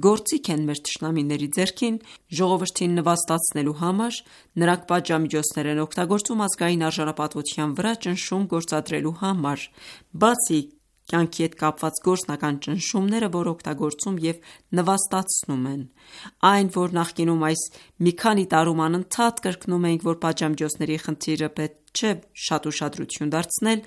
գործիք են մեր թշնամիների ձեռքին, ժողովրդին նվաստացնելու համար, նրանք պատժամիջոցներ են օգտագործում ազգային արժանապատվության վրա ճնշում գործադրելու համար, բացի կյանքի հետ կապված գործնական ճնշումները, որ օգտագործում և նվաստացնում են։ Այն, որ նախկինում այս մի քանի տարում անընդհատ կրկնում էինք, որ պատժամիջոցների խնդիրը պետք չէ շատ ուշադրություն դարձնել,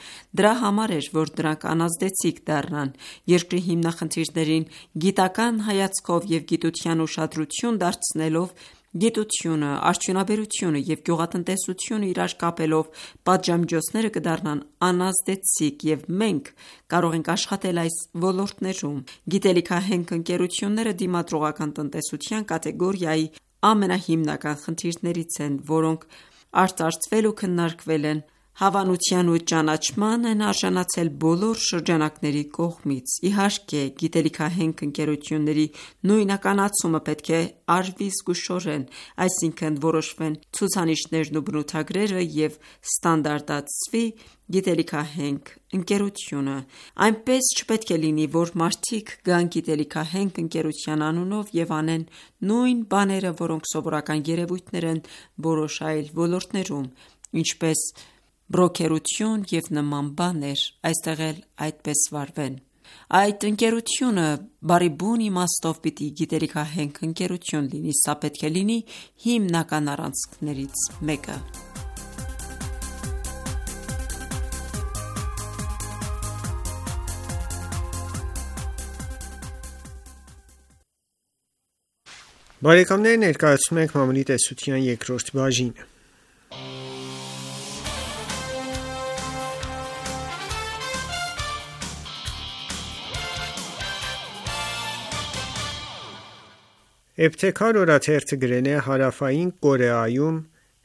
դրա համար էր, որ դրանք անազդեցիկ դառնան։ Երկրի հիմնախնդիրներին գիտական հայացքով և գիտության ուշադրություն դարձնելով, գիտությունը, արդյունաբերությունը և գյուղատնտեսությունը իրար կապելով, պատժամիջոցները կդառնան անազդեցիկ, և մենք կարող ենք աշխատել այս ոլորտներում։ Գիտելիքահենք ընկերությունները դիմադրողական տնտեսության կատեգորիայի ամենահիմնական խնդիրներից են, որոնք արծարծվել ու քննարկվել են, հավանության ու ճանաչման են արժանացել բոլոր շրջանակների կողմից։ Իհարկե, գիտելիքահենք ընկերությունների նույնականացումը պետք է արվի զգուշորեն, այսինքն որոշվեն ցուցանիշներն ու բնութագրերը և ստանդարտացվի գիտելիքահենք ընկերությունը։ Այնպես չպետք է լինի, որ մարդիկ գան գիտելիքահենք ընկերության անունով և անեն նույն բաները, որոնք սովորական երևույթներ են որոշ այլ ոլորտներում, ինչպես բրոքերություն և նման բաներ, այստեղ էլ այդպես վարվեն։ Այդ ընկերությունը բառի բուն իմաստով պիտի գիտելիքահենք ընկերություն լինի, սա պետք է լինի հիմնական առանցքներից մեկը։ Բարեկամներ, ներկայացնում ենք մամուլի տեսության երկրորդ բաժինը։ Էբթեքար օրաթերթը գրել է. Հարավային Կորեայում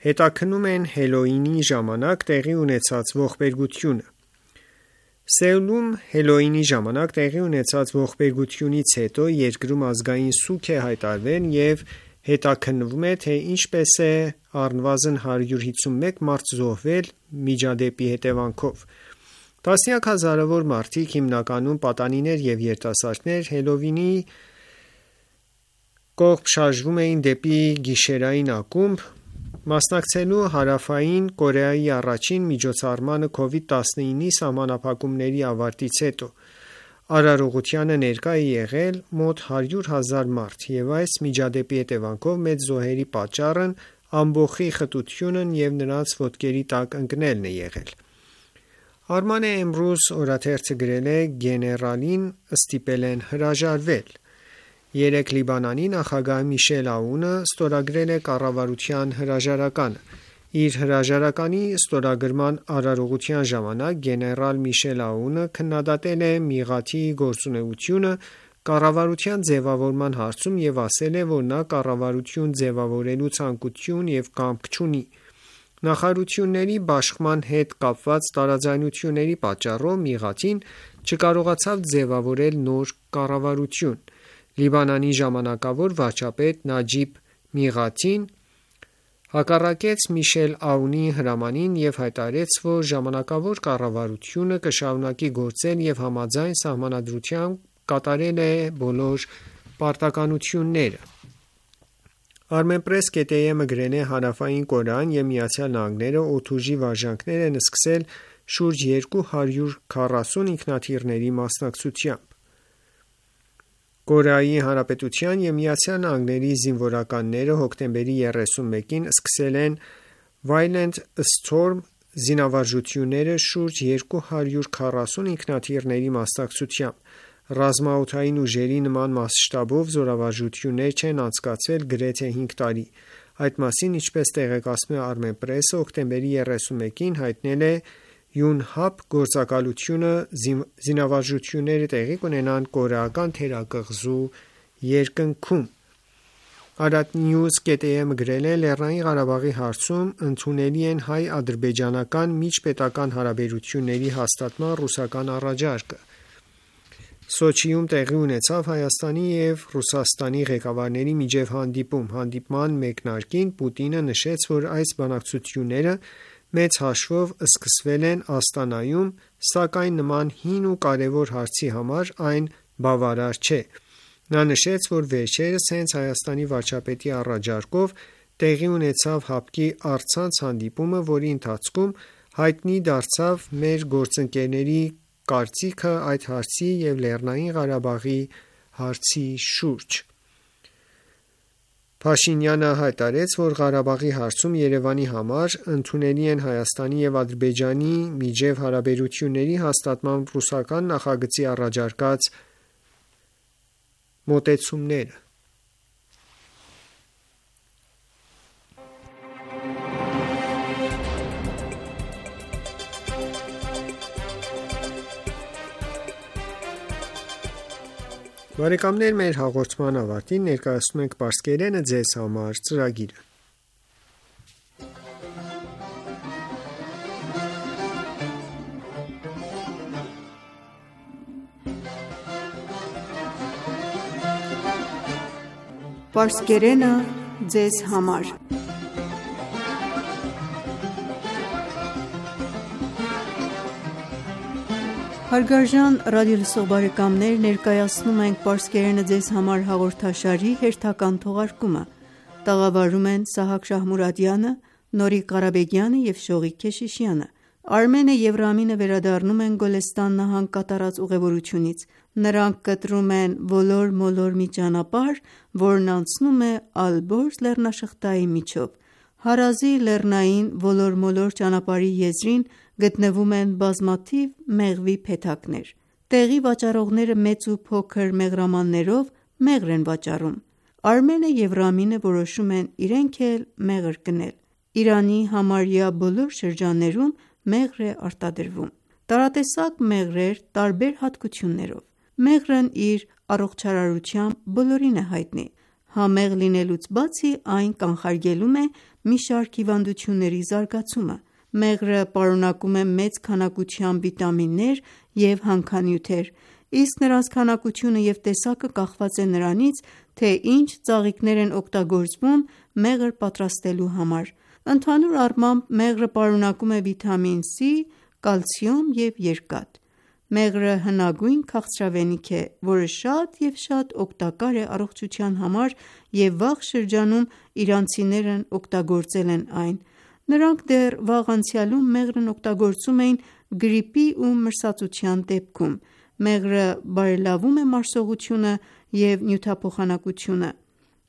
հետաքննում են Հելոուինի ժամանակ տեղի ունեցած ողբերգությունը։ Սեուլում Հելոուինի ժամանակ տեղի ունեցած ողբերգությունից հետո երկրում ազգային սուգ է հայտարարվել և հետաքննվում է, թե ինչպես է առնվազն 151 մարդ զոհվել միջադեպի հետևանքով։ Տասնյակ հազարավոր մարդիկ, հիմնականում պատանիներ և երիտասարդներ, Հելոուինի կողմ շարժվում էին դեպի գիշերային ակումբ՝ մասնակցելու Հարավային Կորեայի առաջին միջոցառմանը COVID-19-ի սահմանափակումների ավարտից հետո։ Արարողությանը ներկա է եղել մոտ 100,000 մարդ, և այս միջադեպի հետևանքով մեծ զոհերի պատճառն ամբոխի խտությունն և նրանց ոտքերի տակ ընկնելն է եղել։ Արման Էմրուզ օրաթերթը գրել է. Գեներալին ստիպել են հրաժարվել։ Երեկ Լիբանանի նախագահ Միշել Աունը ստորագրել է կառավարության հրաժարականը։ Իր հրաժարականի ստորագրման արարողության ժամանակ գեներալ Միշել Աունը քննադատել է Միղաթի գործունեությունը կառավարության ձևավորման հարցում և ասել է, որ նա կառավարություն ձևավորելու ցանկություն և կամք չունի։ Նախարարությունների բաշխման հետ կապված տարաձայնությունների պատճառով Միղաթին չկարողացավ ձևավորել նոր կառավարություն։ Լիբանանի ժամանակավոր վարչապետ Նաջիբ Միղաթին հակառակեց Միշել Աունի հրամանին և հայտարարեց, որ ժամանակավոր կառավարությունը կշարունակի գործել և համաձայն Սահմանադրության կատարել է բոլոր պարտականությունները։ Armenpress.am-ը գրել է Հարավային Կորեան և ԱՄՆ-ը օդուժի վարժանքներ են սկսել շուրջ 240 ինքնաթիռների մասնակցությամբ։ Կորեայի Հանրապետության և ԱՄՆ-ի զինվորականները հոկտեմբերի 31-ին սկսել են Violent Storm զինավարժությունները շուրջ 240 ինքնաթիռների մասնակցությամբ։ Ռազմաօդային ուժերի նման մասշտաբով զորավարժություններ չեն անցկացվել գրեթե 5 տարի։ Այդ մասին, ինչպես տեղեկացնում է Armenpress-ը, հոկտեմբերի 31-ին հայտնել է Yonhap գործակալությունը զինավարժությունները տեղի կունենան կորեական թերակղզու երկնքում։ Arabnews.am-ը գրել է. Լեռնային Ղարաբաղի հարցում ընդունելի են հայ-ադրբեջանական միջպետական հարաբերությունների հաստատման ռուսական առաջարկը։ Սոչիում տեղի ունեցավ Հայաստանի և Ռուսաստանի ղեկավարների միջև հանդիպում։ Հանդիպման մեկնարկին Պուտինը նշեց, որ այս բանակցությունները մեծ հաշվով սկսվել են Աստանայում, սակայն նման հին ու կարևոր հարցի համար այն բավարար չէ։ Նա նշեց, որ վերջերս հենց Հայաստանի վարչապետի առաջարկով տեղի ունեցավ ՀԱՊԿ-ի առցանց հանդիպումը, որի ընթացքում հայտնի դարձավ մեր գործընկերների կարծիքը այդ հարցի և Լեռնային Ղարաբաղի հարցի շուրջ։ Փաշինյանը հայտարարեց, որ Ղարաբաղի հարցում Երևանի համար ընդունելի են Հայաստանի և Ադրբեջանի միջև հարաբերությունների հաստատման ռուսական նախագծի առաջարկած մոտեցումները։ Բարեկամներ, մեր հաղորդման ավարտին ներկայացնում ենք Պարսկերենը ձեզ համար ծրագիրը։ Պարսկերենը ձեզ համար։ Հարգարժան ռադիոլսող բարեկամներ, ներկայացնում ենք Պարսկերենը ձեզ համար հաղորդաշարի հերթական թողարկումը։ Տաղավարում են Սահակ Շահմուրադյանը, Նորիկ Ղարաբեգյանը և Շողիկ Քեշիշյանը։ Արմենը և Ռամինը վերադառնում են Գոլեստան նահանգ կատարած ուղևորությունից։ Նրանք կտրում են ոլոր-մոլոր մի ճանապարհ, որն անցնում է Ալբորզ լեռնաշղթայի միջով։ Հարազի լեռնային ոլոր-մոլոր ճանապարհի եզրին գտնվում են բազմաթիվ մեղվի փեթակներ։ Տեղի վաճառողները մեծ ու փոքր մեղրամաններով մեղր են վաճառում։ Արմենը և Ռամինը որոշում են իրենք էլ մեղր գնել։ Իրանի համարյա բոլոր շրջաններում մեղր է արտադրվում։ Տարատեսակ մեղրեր տարբեր հատկություններով։ Մեղրն իր առողջարարությամբ բոլորին է հայտնի։ Համեղ լինելուց բացի, այն կանխարգելում է մի շարք հիվանդությունների զարգացումը։ Մեղրը պարունակում է մեծ քանակությամբ վիտամիններ և հանքանյութեր, իսկ նրանց քանակությունը և տեսակը կախված է նրանից, թե ինչ ծաղիկներ են օգտագործվում մեղր պատրաստելու համար։ Ընդհանուր առմամբ, մեղրը պարունակում է վիտամին C, կալցիում և երկաթ։ Մեղրը հնագույն քաղցրավենիք է, որը շատ և շատ օգտակար է առողջության համար և վաղ շրջանում իրանցիներն օգտագործել են այն։ Նրանք դեռ վաղ անցյալում մեղրն օգտագործում էին գրիպի ու մրսածության դեպքում։ Մեղրը բարելավում է մարսողությունը և նյութափոխանակությունը։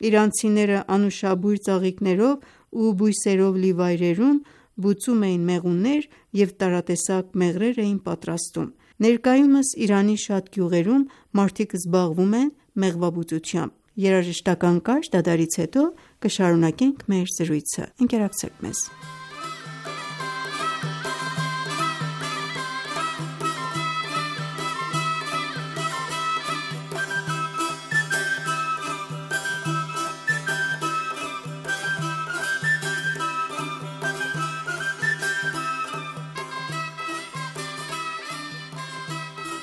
Իրանցիները անուշաբույր ծաղիկներով ու բույսերով լի վայրերում բուծում էին մեղուներ և տարատեսակ մեղրեր էին պատրաստում։ Ներկայումս Իրանի շատ գյուղերում մարդիկ զբաղվում են մեղվաբուծությամբ։ Երաժշտական կարճ դադարից հետո կշարունակենք մեր զրույցը։ Ընկերակցեք մեզ։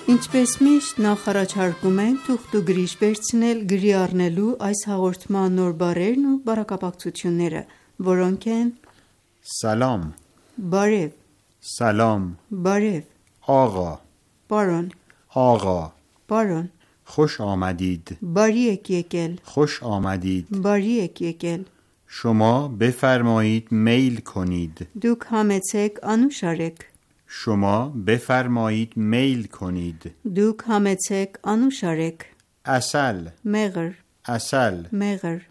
Ինչպես միշտ նախ առաջարկում ենք թուղթ ու գրիչ վերցնել գրի առնելու այս հաղորդման նոր բառերն ու բառակապակցությունները, որոնք են Սալամ, բարև, Սալամ, բարև, Աղա, պարոն, Աղա, պարոն, خوش آمدید. باری եք եկել. خوش آمدید. باری եք եկել. شما بفرمایید میل کنید. Դուք համեցեք անուշ արեք. شما بفرمایید میل کنید. Դուք համեցեք անուշ արեք. عسل. Մեղր, عسل. մեղր.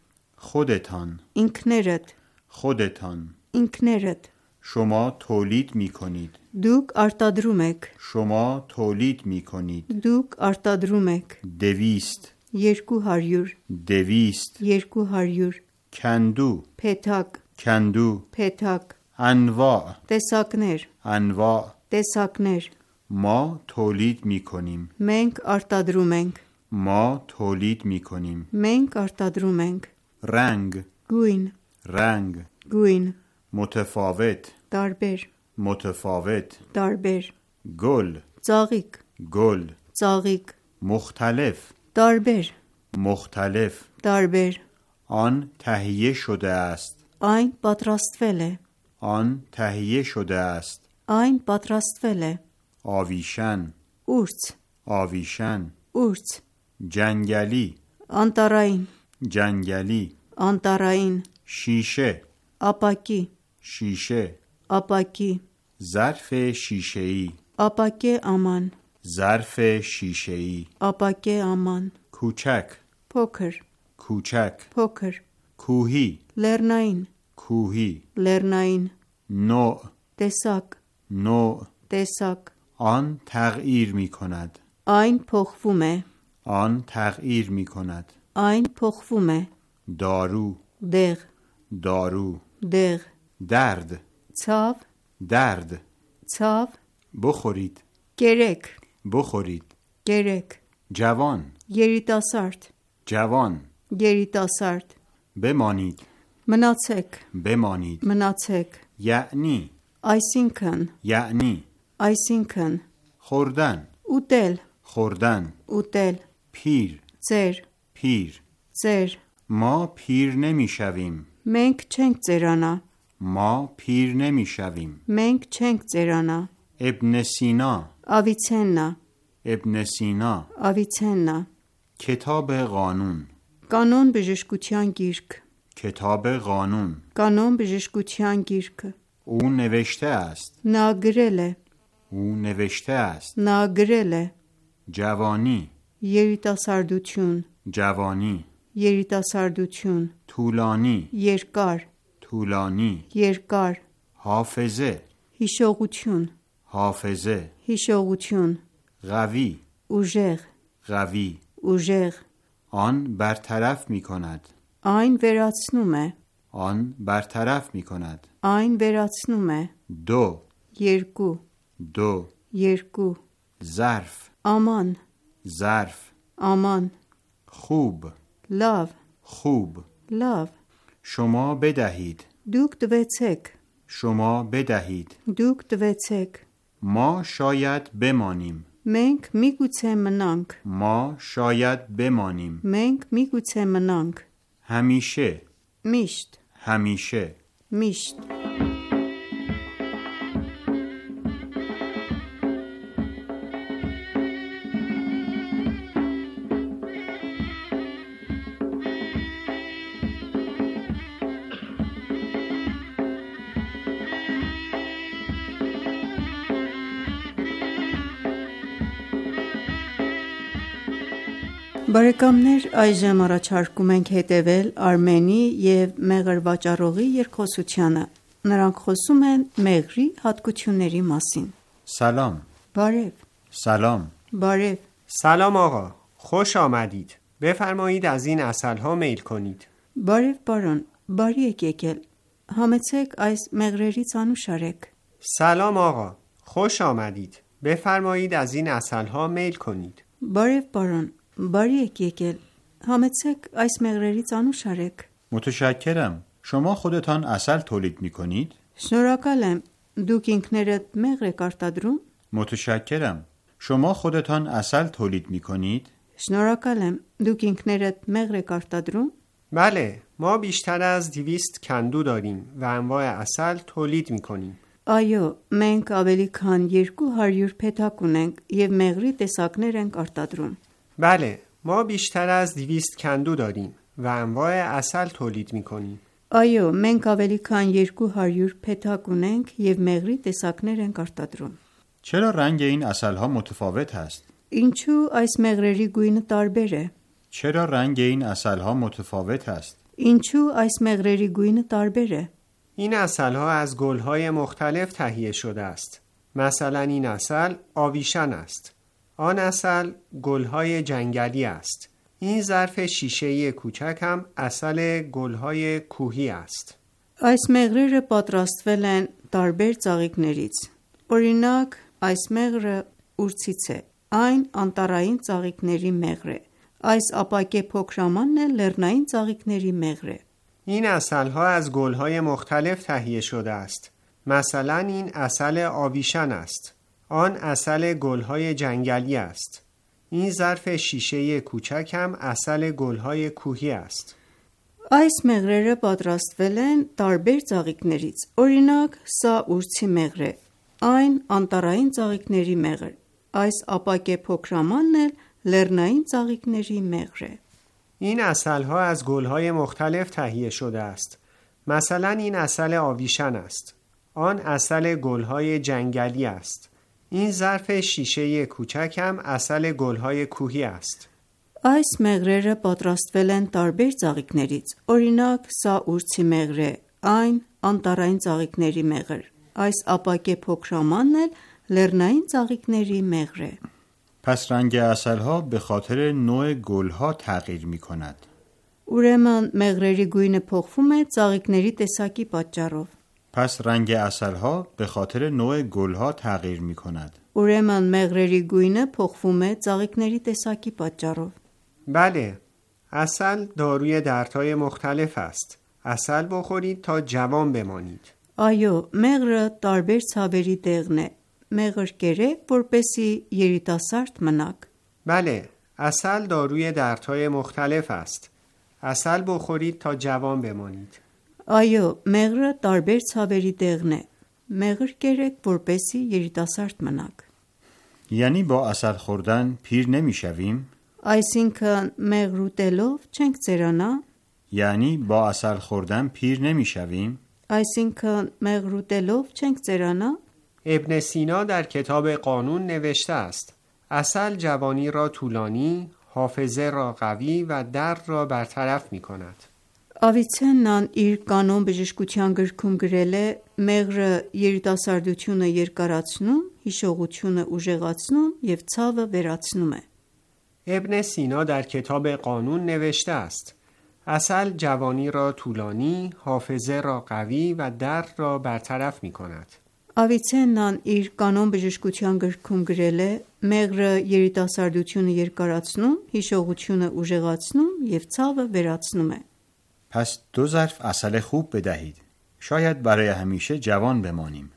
خودتان. Ինքներդ, خودتان. ինքներդ. شما تولید می کنید. Դուք արտադրում եք. شما تولید می کنید. Դուք արտադրում եք. 200. 200, 200. 200. کندو. Փեթակ, کندو. փեթակ. انواع. Տեսակներ, انواع. տեսակներ. ما تولید می کنیم. Մենք արտադրում ենք. ما تولید می کنیم. Մենք արտադրում ենք. رنگ. Գույն, رنگ. գույն. متفاوت. Տարբեր, متفاوت. տարբեր. گل. Ծաղիկ, گل. ծաղիկ. مختلف. Տարբեր, مختلف. տարբեր. آن تهیه شده است. Այն պատրաստվել է. آن تهیه شده است. Այն պատրաստվել է. آویشن. Ուրց, آویشن. ուրց. جنگلی. Անտարային, جنگلی. անտարային. شیشه. Ապակի, شیشه. ապակի. ظرف شیشه‌ای. Ապակե aman, ظرف شیشه‌ای. ապակե aman. کوچک. Փոքր, کوچک. փոքր. کوهی. Լեռնային, کوهی. լեռնային. نوع. Տեսակ, نوع. տեսակ. آن تغییر می کند. Այն փոխվում է. آن تغییر می کند. Այն փոխվում է. دارو. Դեղ, دارو. դեղ. درد. Ցավ, درد. ցավ. بخورید. Կերեք, بخورید. կերեք. جوان. Երիտասարդ, جوان. երիտասարդ. بمانید. Մնացեք, بمانید. մնացեք. یعنی. Այսինքն, یعنی. այսինքն. خوردن. Ուտել, خوردن. ուտել. پیر. Ձեր, پیر. ձեր. ما پیر نمی شویم. Մենք չենք ձերանա. ما پیر نمی شویم. Մենք չենք ձերանա. ابن سینا. Ավիցեննա, ابن سینا. Ավիցեննա. کتاب قانون. Կանոն բժշկության գիրք, کتاب قانون. կանոն բժշկության գիրքը. او نوشته است. Նա գրել է, او نوشته است. նա գրել է. جوانی. Երիտասարդություն, جوانی. երիտասարդություն. طولانی. Երկար, طولانی. երկար. حافظه. Հիշողություն, حافظه. հիշողություն. قوی. Ուժեղ, قوی. ուժեղ. آن برطرف می کند. Այն վերացնում է, آن برطرف می کند. այն վերացնում է. دو. Երկու, دو. երկու. ظرف. Aman, ظرف. aman. خوب. Լավ, خوب. լավ. شما بدهید. Դուք տվեցեք, شما بدهید. դուք տվեցեք. ما شاید بمانیم. Մենք միգուցե մնանք, ما شاید بمانیم. մենք միգուցե մնանք. همیشه. Միշտ, همیشه. միշտ. Բարեկամներ, այժմ առաջարկում ենք հետևել Արմենի և Մեղր վաճառողի երկխոսությանը։ Նրանք խոսում են մեղրի հատկությունների մասին։ سلام. Բարև, سلام. բարև, سلام آقا، خوش آمدید. بفرمایید از این عسل‌ها میل کنید. բարև պարոն, բարի եք եկել։ Համեցեք այս մեղրերից անուշ արեք։ سلام آقا، خوش آمدید. بفرمایید از این عسل‌ها میل کنید. Բարև պարոն, բարի եք եկել։ Համեցեք այս մեղրերից անուշ արեք։ متشکرم. شما خودتان عسل تولید می کنید؟ Շնորհակալ եմ։ Դուք ինքներդ մեղր եք արտադրում։ متشکرم. شما خودتان عسل تولید می کنید؟ Շնորհակալ եմ։ Դուք ինքներդ մեղր եք արտադրում։ بله، ما بیشتر از 200 کندو داریم و انواع عسل تولید می‌کنیم. Այո, մենք ավելի քան 200 փեթակ ունենք եւ մեղրի տեսակներ ենք արտադրում։ بله، ما بیشتر از 200 کندو داریم و انواع عسل تولید می‌کنیم. Այո, մենք ավելի քան 200 փեթակ ունենք և մեղրի տեսակներ ենք արտադրում։ چرا رنگ این عسل‌ها متفاوت است؟ Ինչու այս մեղրերի գույնը տարբեր է։ چرا رنگ این عسل‌ها متفاوت است؟ Ինչու այս մեղրերի գույնը տարբեր է։ این عسل‌ها از گل‌های مختلف تهیه شده است. مثلا این عسل آویشن است. آن عسل گل‌های جنگلی است. این ظرف شیشه‌ای کوچک هم عسل گل‌های کوهی است. Այս մեղրերը պատրաստվել են տարբեր ծաղիկներից։ Օրինակ, այս մեղրը ուրցից է, այն անտառային ծաղիկների մեղր է։ Այս ապակե փոքրամանն է լեռնային ծաղիկների մեղր է։ این عسل‌ها از گل‌های مختلف تهیه شده است. مثلا این عسل آویشن است. آن عسل گل‌های جنگلی است. این ظرف شیشه‌ای کوچک هم عسل گل‌های کوهی است. Այս մեղրերը պատրաստվել են տարբեր ծաղիկներից։ Օրինակ, սա ուրցի մեղր է, այն անտառային ծաղիկների մեղր։ Այս ապակե փոքրամանն էլ լեռնային ծաղիկների մեղր է։ این عسل‌ها از گل‌های مختلف تهیه شده است. مثلا این عسل آویشن است. آن عسل گل‌های جنگلی است. این ظرف شیشه‌ای کوچک هم عسل گل‌های کوهی است. Այս մեղրերը պատրաստվել են տարբեր ծաղիկներից։ Օրինակ, սա ուրցի մեղր է, այն անտառային ծաղիկների մեղր։ Այս ապակե փոքրամանն էլ լեռնային ծաղիկների մեղր է։ پس رنگ عسل‌ها به خاطر نوع گل‌ها تغییر می‌کند. Ուրեմն մեղրերի գույնը փոխվում է ծաղիկների տեսակի պատճառով։ پس رنگ عسل‌ها به خاطر نوع گل‌ها تغییر می‌کند. Ուրեմն մեղրերի գույնը փոխվում է ծաղիկների տեսակի պատճառով։ بله، عسل داروی دردهای مختلف است. عسل بخورید تا جوان بمانید. Այո, մեղրը տարբեր ցավերի դեղն է։ Մեղր կերեք, որպեսզի երիտասարդ մնաք։ بله، عسل داروی دردهای مختلف است. عسل بخورید تا جوان بمانید. Այո, մեղրը տարբեր ցավերի դեղն է։ Մեղր կերեք, որպեսզի երիտասարդ մնաք։ یعنی با عسل خوردن پیر نمی‌شویم؟ Այսինքն մեղր ուտելով չենք ծերանա։ یعنی با عسل خوردن پیر نمی‌شویم؟ Այսինքն մեղր ուտելով չենք ծերանա։ ابن سینا در کتاب قانون نوشته است: عسل جوانی را طولانی، حافظه را قوی و درد را برطرف می کند. Ավիցեննան իր կանոն բժշկության գրքում գրել է. մեղրը երիտասարդությունը երկարացնում, հիշողությունը ուժեղացնում և ցավը վերացնում է։ ابن سینا در کتاب قانون نوشته است: عسل جوانی را طولانی، حافظه را قوی و درد را برطرف می کند. Ավիցեննան իր կանոն բժշկության գրքում գրել է. մեղրը երիտասարդությունը երկարացնում, հիշողությունը ուժեղացնում և ցավը վերացնում է։ پس 2 ظرف عسل خوب بدهید. شاید برای همیشه جوان بمانیم.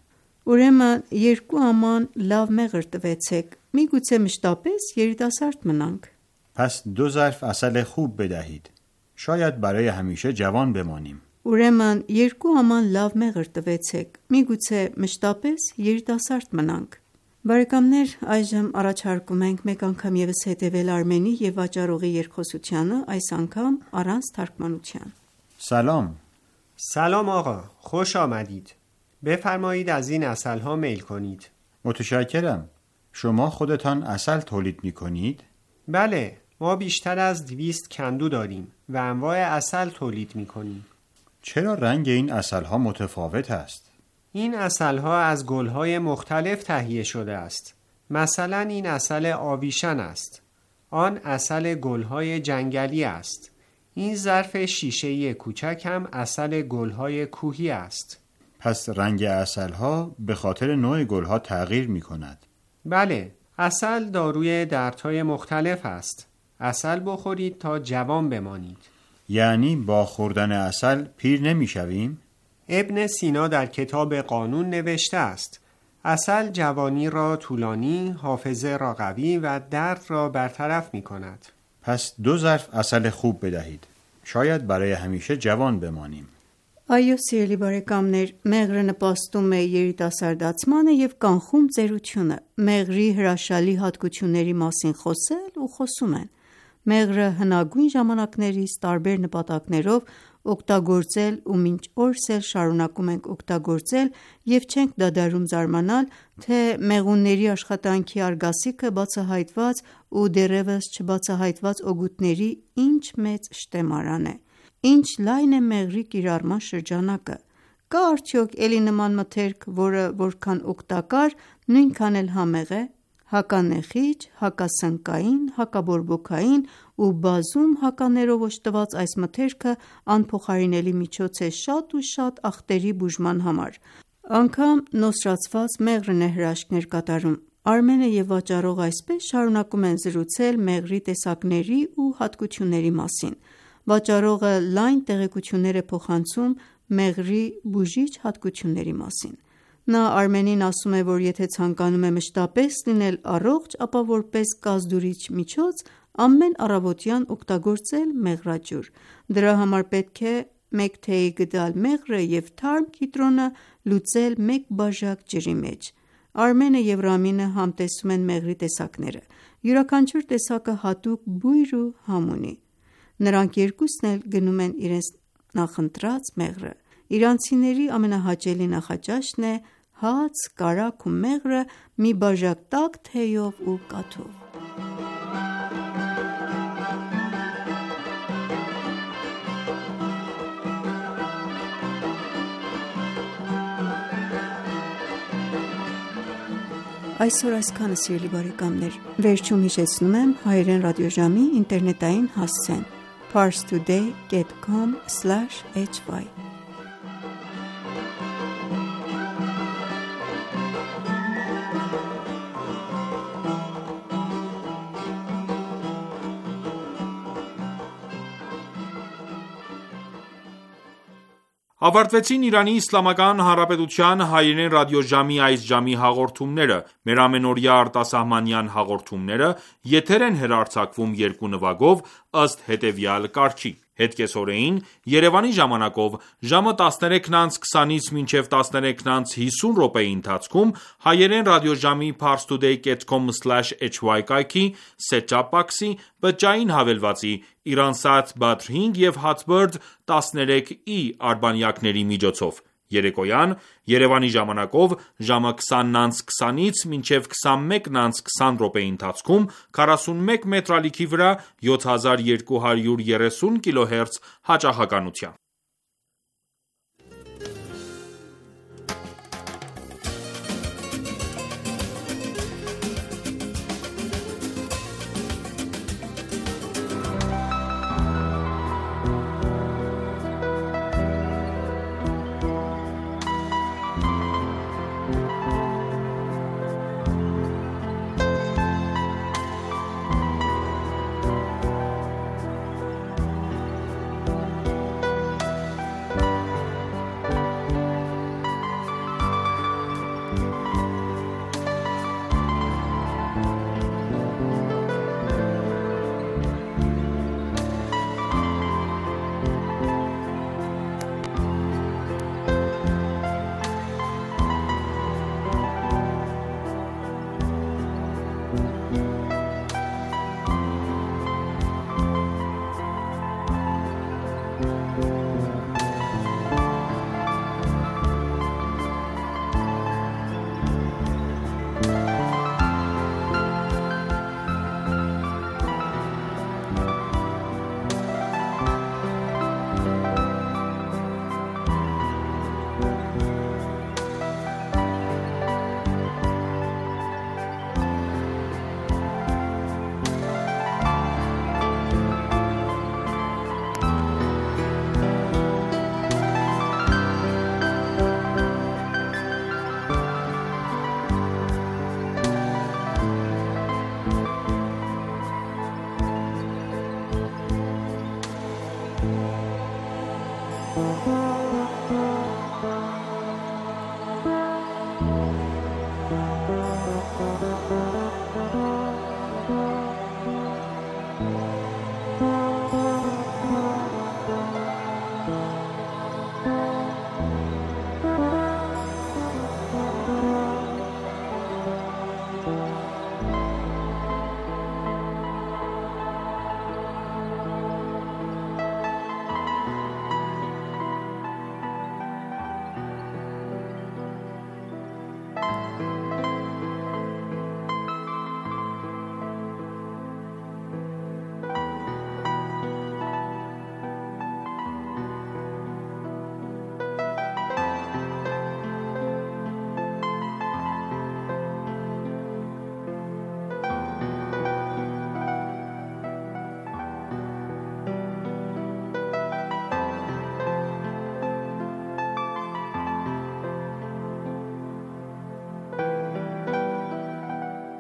Ուրեմն 2 աման լավ մեղր տվեցեք, միգուցե մշտապես երիտասարդ մնանք։ پس 2 ظرف عسل خوب بدهید. شاید برای همیشه جوان بمانیم. Ուրեմն 2 աման լավ մեղր տվեցեք, միգուցե մշտապես երիտասարդ մնանք։ Բարեկամներ, այժմ առաջարկում ենք մեկ անգամ ևս հետևել Արմենի եւ վաճառողի երկխոսությանը, այս անգամ առանց թարգմանության։ سلام. سلام آقا، خوش آمدید. بفرمایید از این عسل‌ها میل کنید. متشکرم. شما خودتان عسل تولید می‌کنید؟ بله، ما بیشتر از 200 کندو داریم و انواع عسل تولید می‌کنیم. چرا رنگ این عسل‌ها متفاوت است؟ این عسل‌ها از گل‌های مختلف تهیه شده است. مثلا این عسل آویشن است. آن عسل گل‌های جنگلی است. این ظرف شیشه‌ای کوچک هم عسل گل‌های کوهی است. پس رنگ عسل‌ها به خاطر نوع گل‌ها تغییر می‌کند. بله، عسل داروی دردهای مختلف است. عسل بخورید تا جوان بمانید. یعنی با خوردن عسل پیر نمی‌شویم؟ ابن سینا در کتاب قانون نوشته است: عسل جوانی را طولانی، حافظه را قوی و درد را برطرف می کند. پس 2 ظرف عسل خوب بدهید. شاید برای همیشه جوان بمانیم. Այո, սիրելի բարեկամներ, մեղրը նպաստում է երիտասարդացմանը և կանխում ծերությունը: Մեղրի հրաշալի հատկությունների մասին խոսել ու խոսում են: Մեղրը հնագույն ժամանակներից տարբեր նպատակներով օգտագործել ու մինչ օրս էլ շարունակում ենք օգտագործել և չենք դադարում զարմանալ, թե մեղունների աշխատանքի արգասիքը բացահայտված ու դեռևս չբացահայտված օգուտների ինչ մեծ շտեմարան է: Ինչ լայն է մեղրի կիրառման շրջանակը: Կա՞ արդյոք էլի նման մթերք, որը որքան օգտակար, նույնքան էլ համեղ է: Հականեխիջ, հակասնկային, հակաբորբոքային ու բազում հականերով օժտված այս մթերքը անփոխարինելի միջոց է շատ ու շատ աղտերի բուժման համար: Անգամ նոսրացված մեղրն է հրաշքներ կատարում: Արմենը և վաճառողը այսպես շարունակում են զրուցել մեղրի տեսակների ու հատկությունների մասին: Վաճառողը լայն տեղեկություններ է փոխանցում մեղրի բուժիչ հատկությունների մասին: Նա Արմենին ասում է, որ եթե ցանկանում է մշտապես լինել առողջ, ապա որպես կազդուրիչ միջոց ամեն առավոտյան օգտագործել մեղրաջուր: Դրա համար պետք է մեկ թեյի գդալ մեղրը և թարմ կիտրոնը լուծել մեկ բաժակ ջրի մեջ: Արմենը և Ռամինը համտեսում են մեղրի տեսակները: Յուրաքանչյուր տեսակը հատուկ բույր ու համ ունի: Նրանք երկուսն էլ գնում են իրենց նախընտրած մեղրը: Իրանցիների ամենահաճելի նախաճաշն է հաց, կարագ ու մեղրը մի բաժակ տաք թեյով ու կաթով: Այսօր այսքանը սիրելի բարեկամներ: Վերջում հիշեցնում եմ հայրեն ռադիոժամի ինտերնետային հասցեն՝ parstoday.com/hy: Ավարտվեցին Իրանի Իսլամական Հանրապետության հայերեն ռադիոժամի այս ժամի հաղորդումները: Մեր ամենօրյա արտասահմանյան հաղորդումները եթեր են հեռարձակվում երկու նվագով ըստ հետևյալ կարգի: Հետկեսօրեին Երևանի ժամանակով ժամը 13:20-ից մինչև 13:50 ընթացքում հայերեն ռադիոժամի parstoday.com/hy կայքի set-top box-ի բջջային հավելվածի Iransat Bat 5 և Hotbird 13e արբանյակների միջոցով: Երեկոյան Երևանի ժամանակով ժամը 20:20-ից մինչև 21:20 ընթացքում 41 մետր ալիքի վրա 7230 kHz հաճախականությամբ: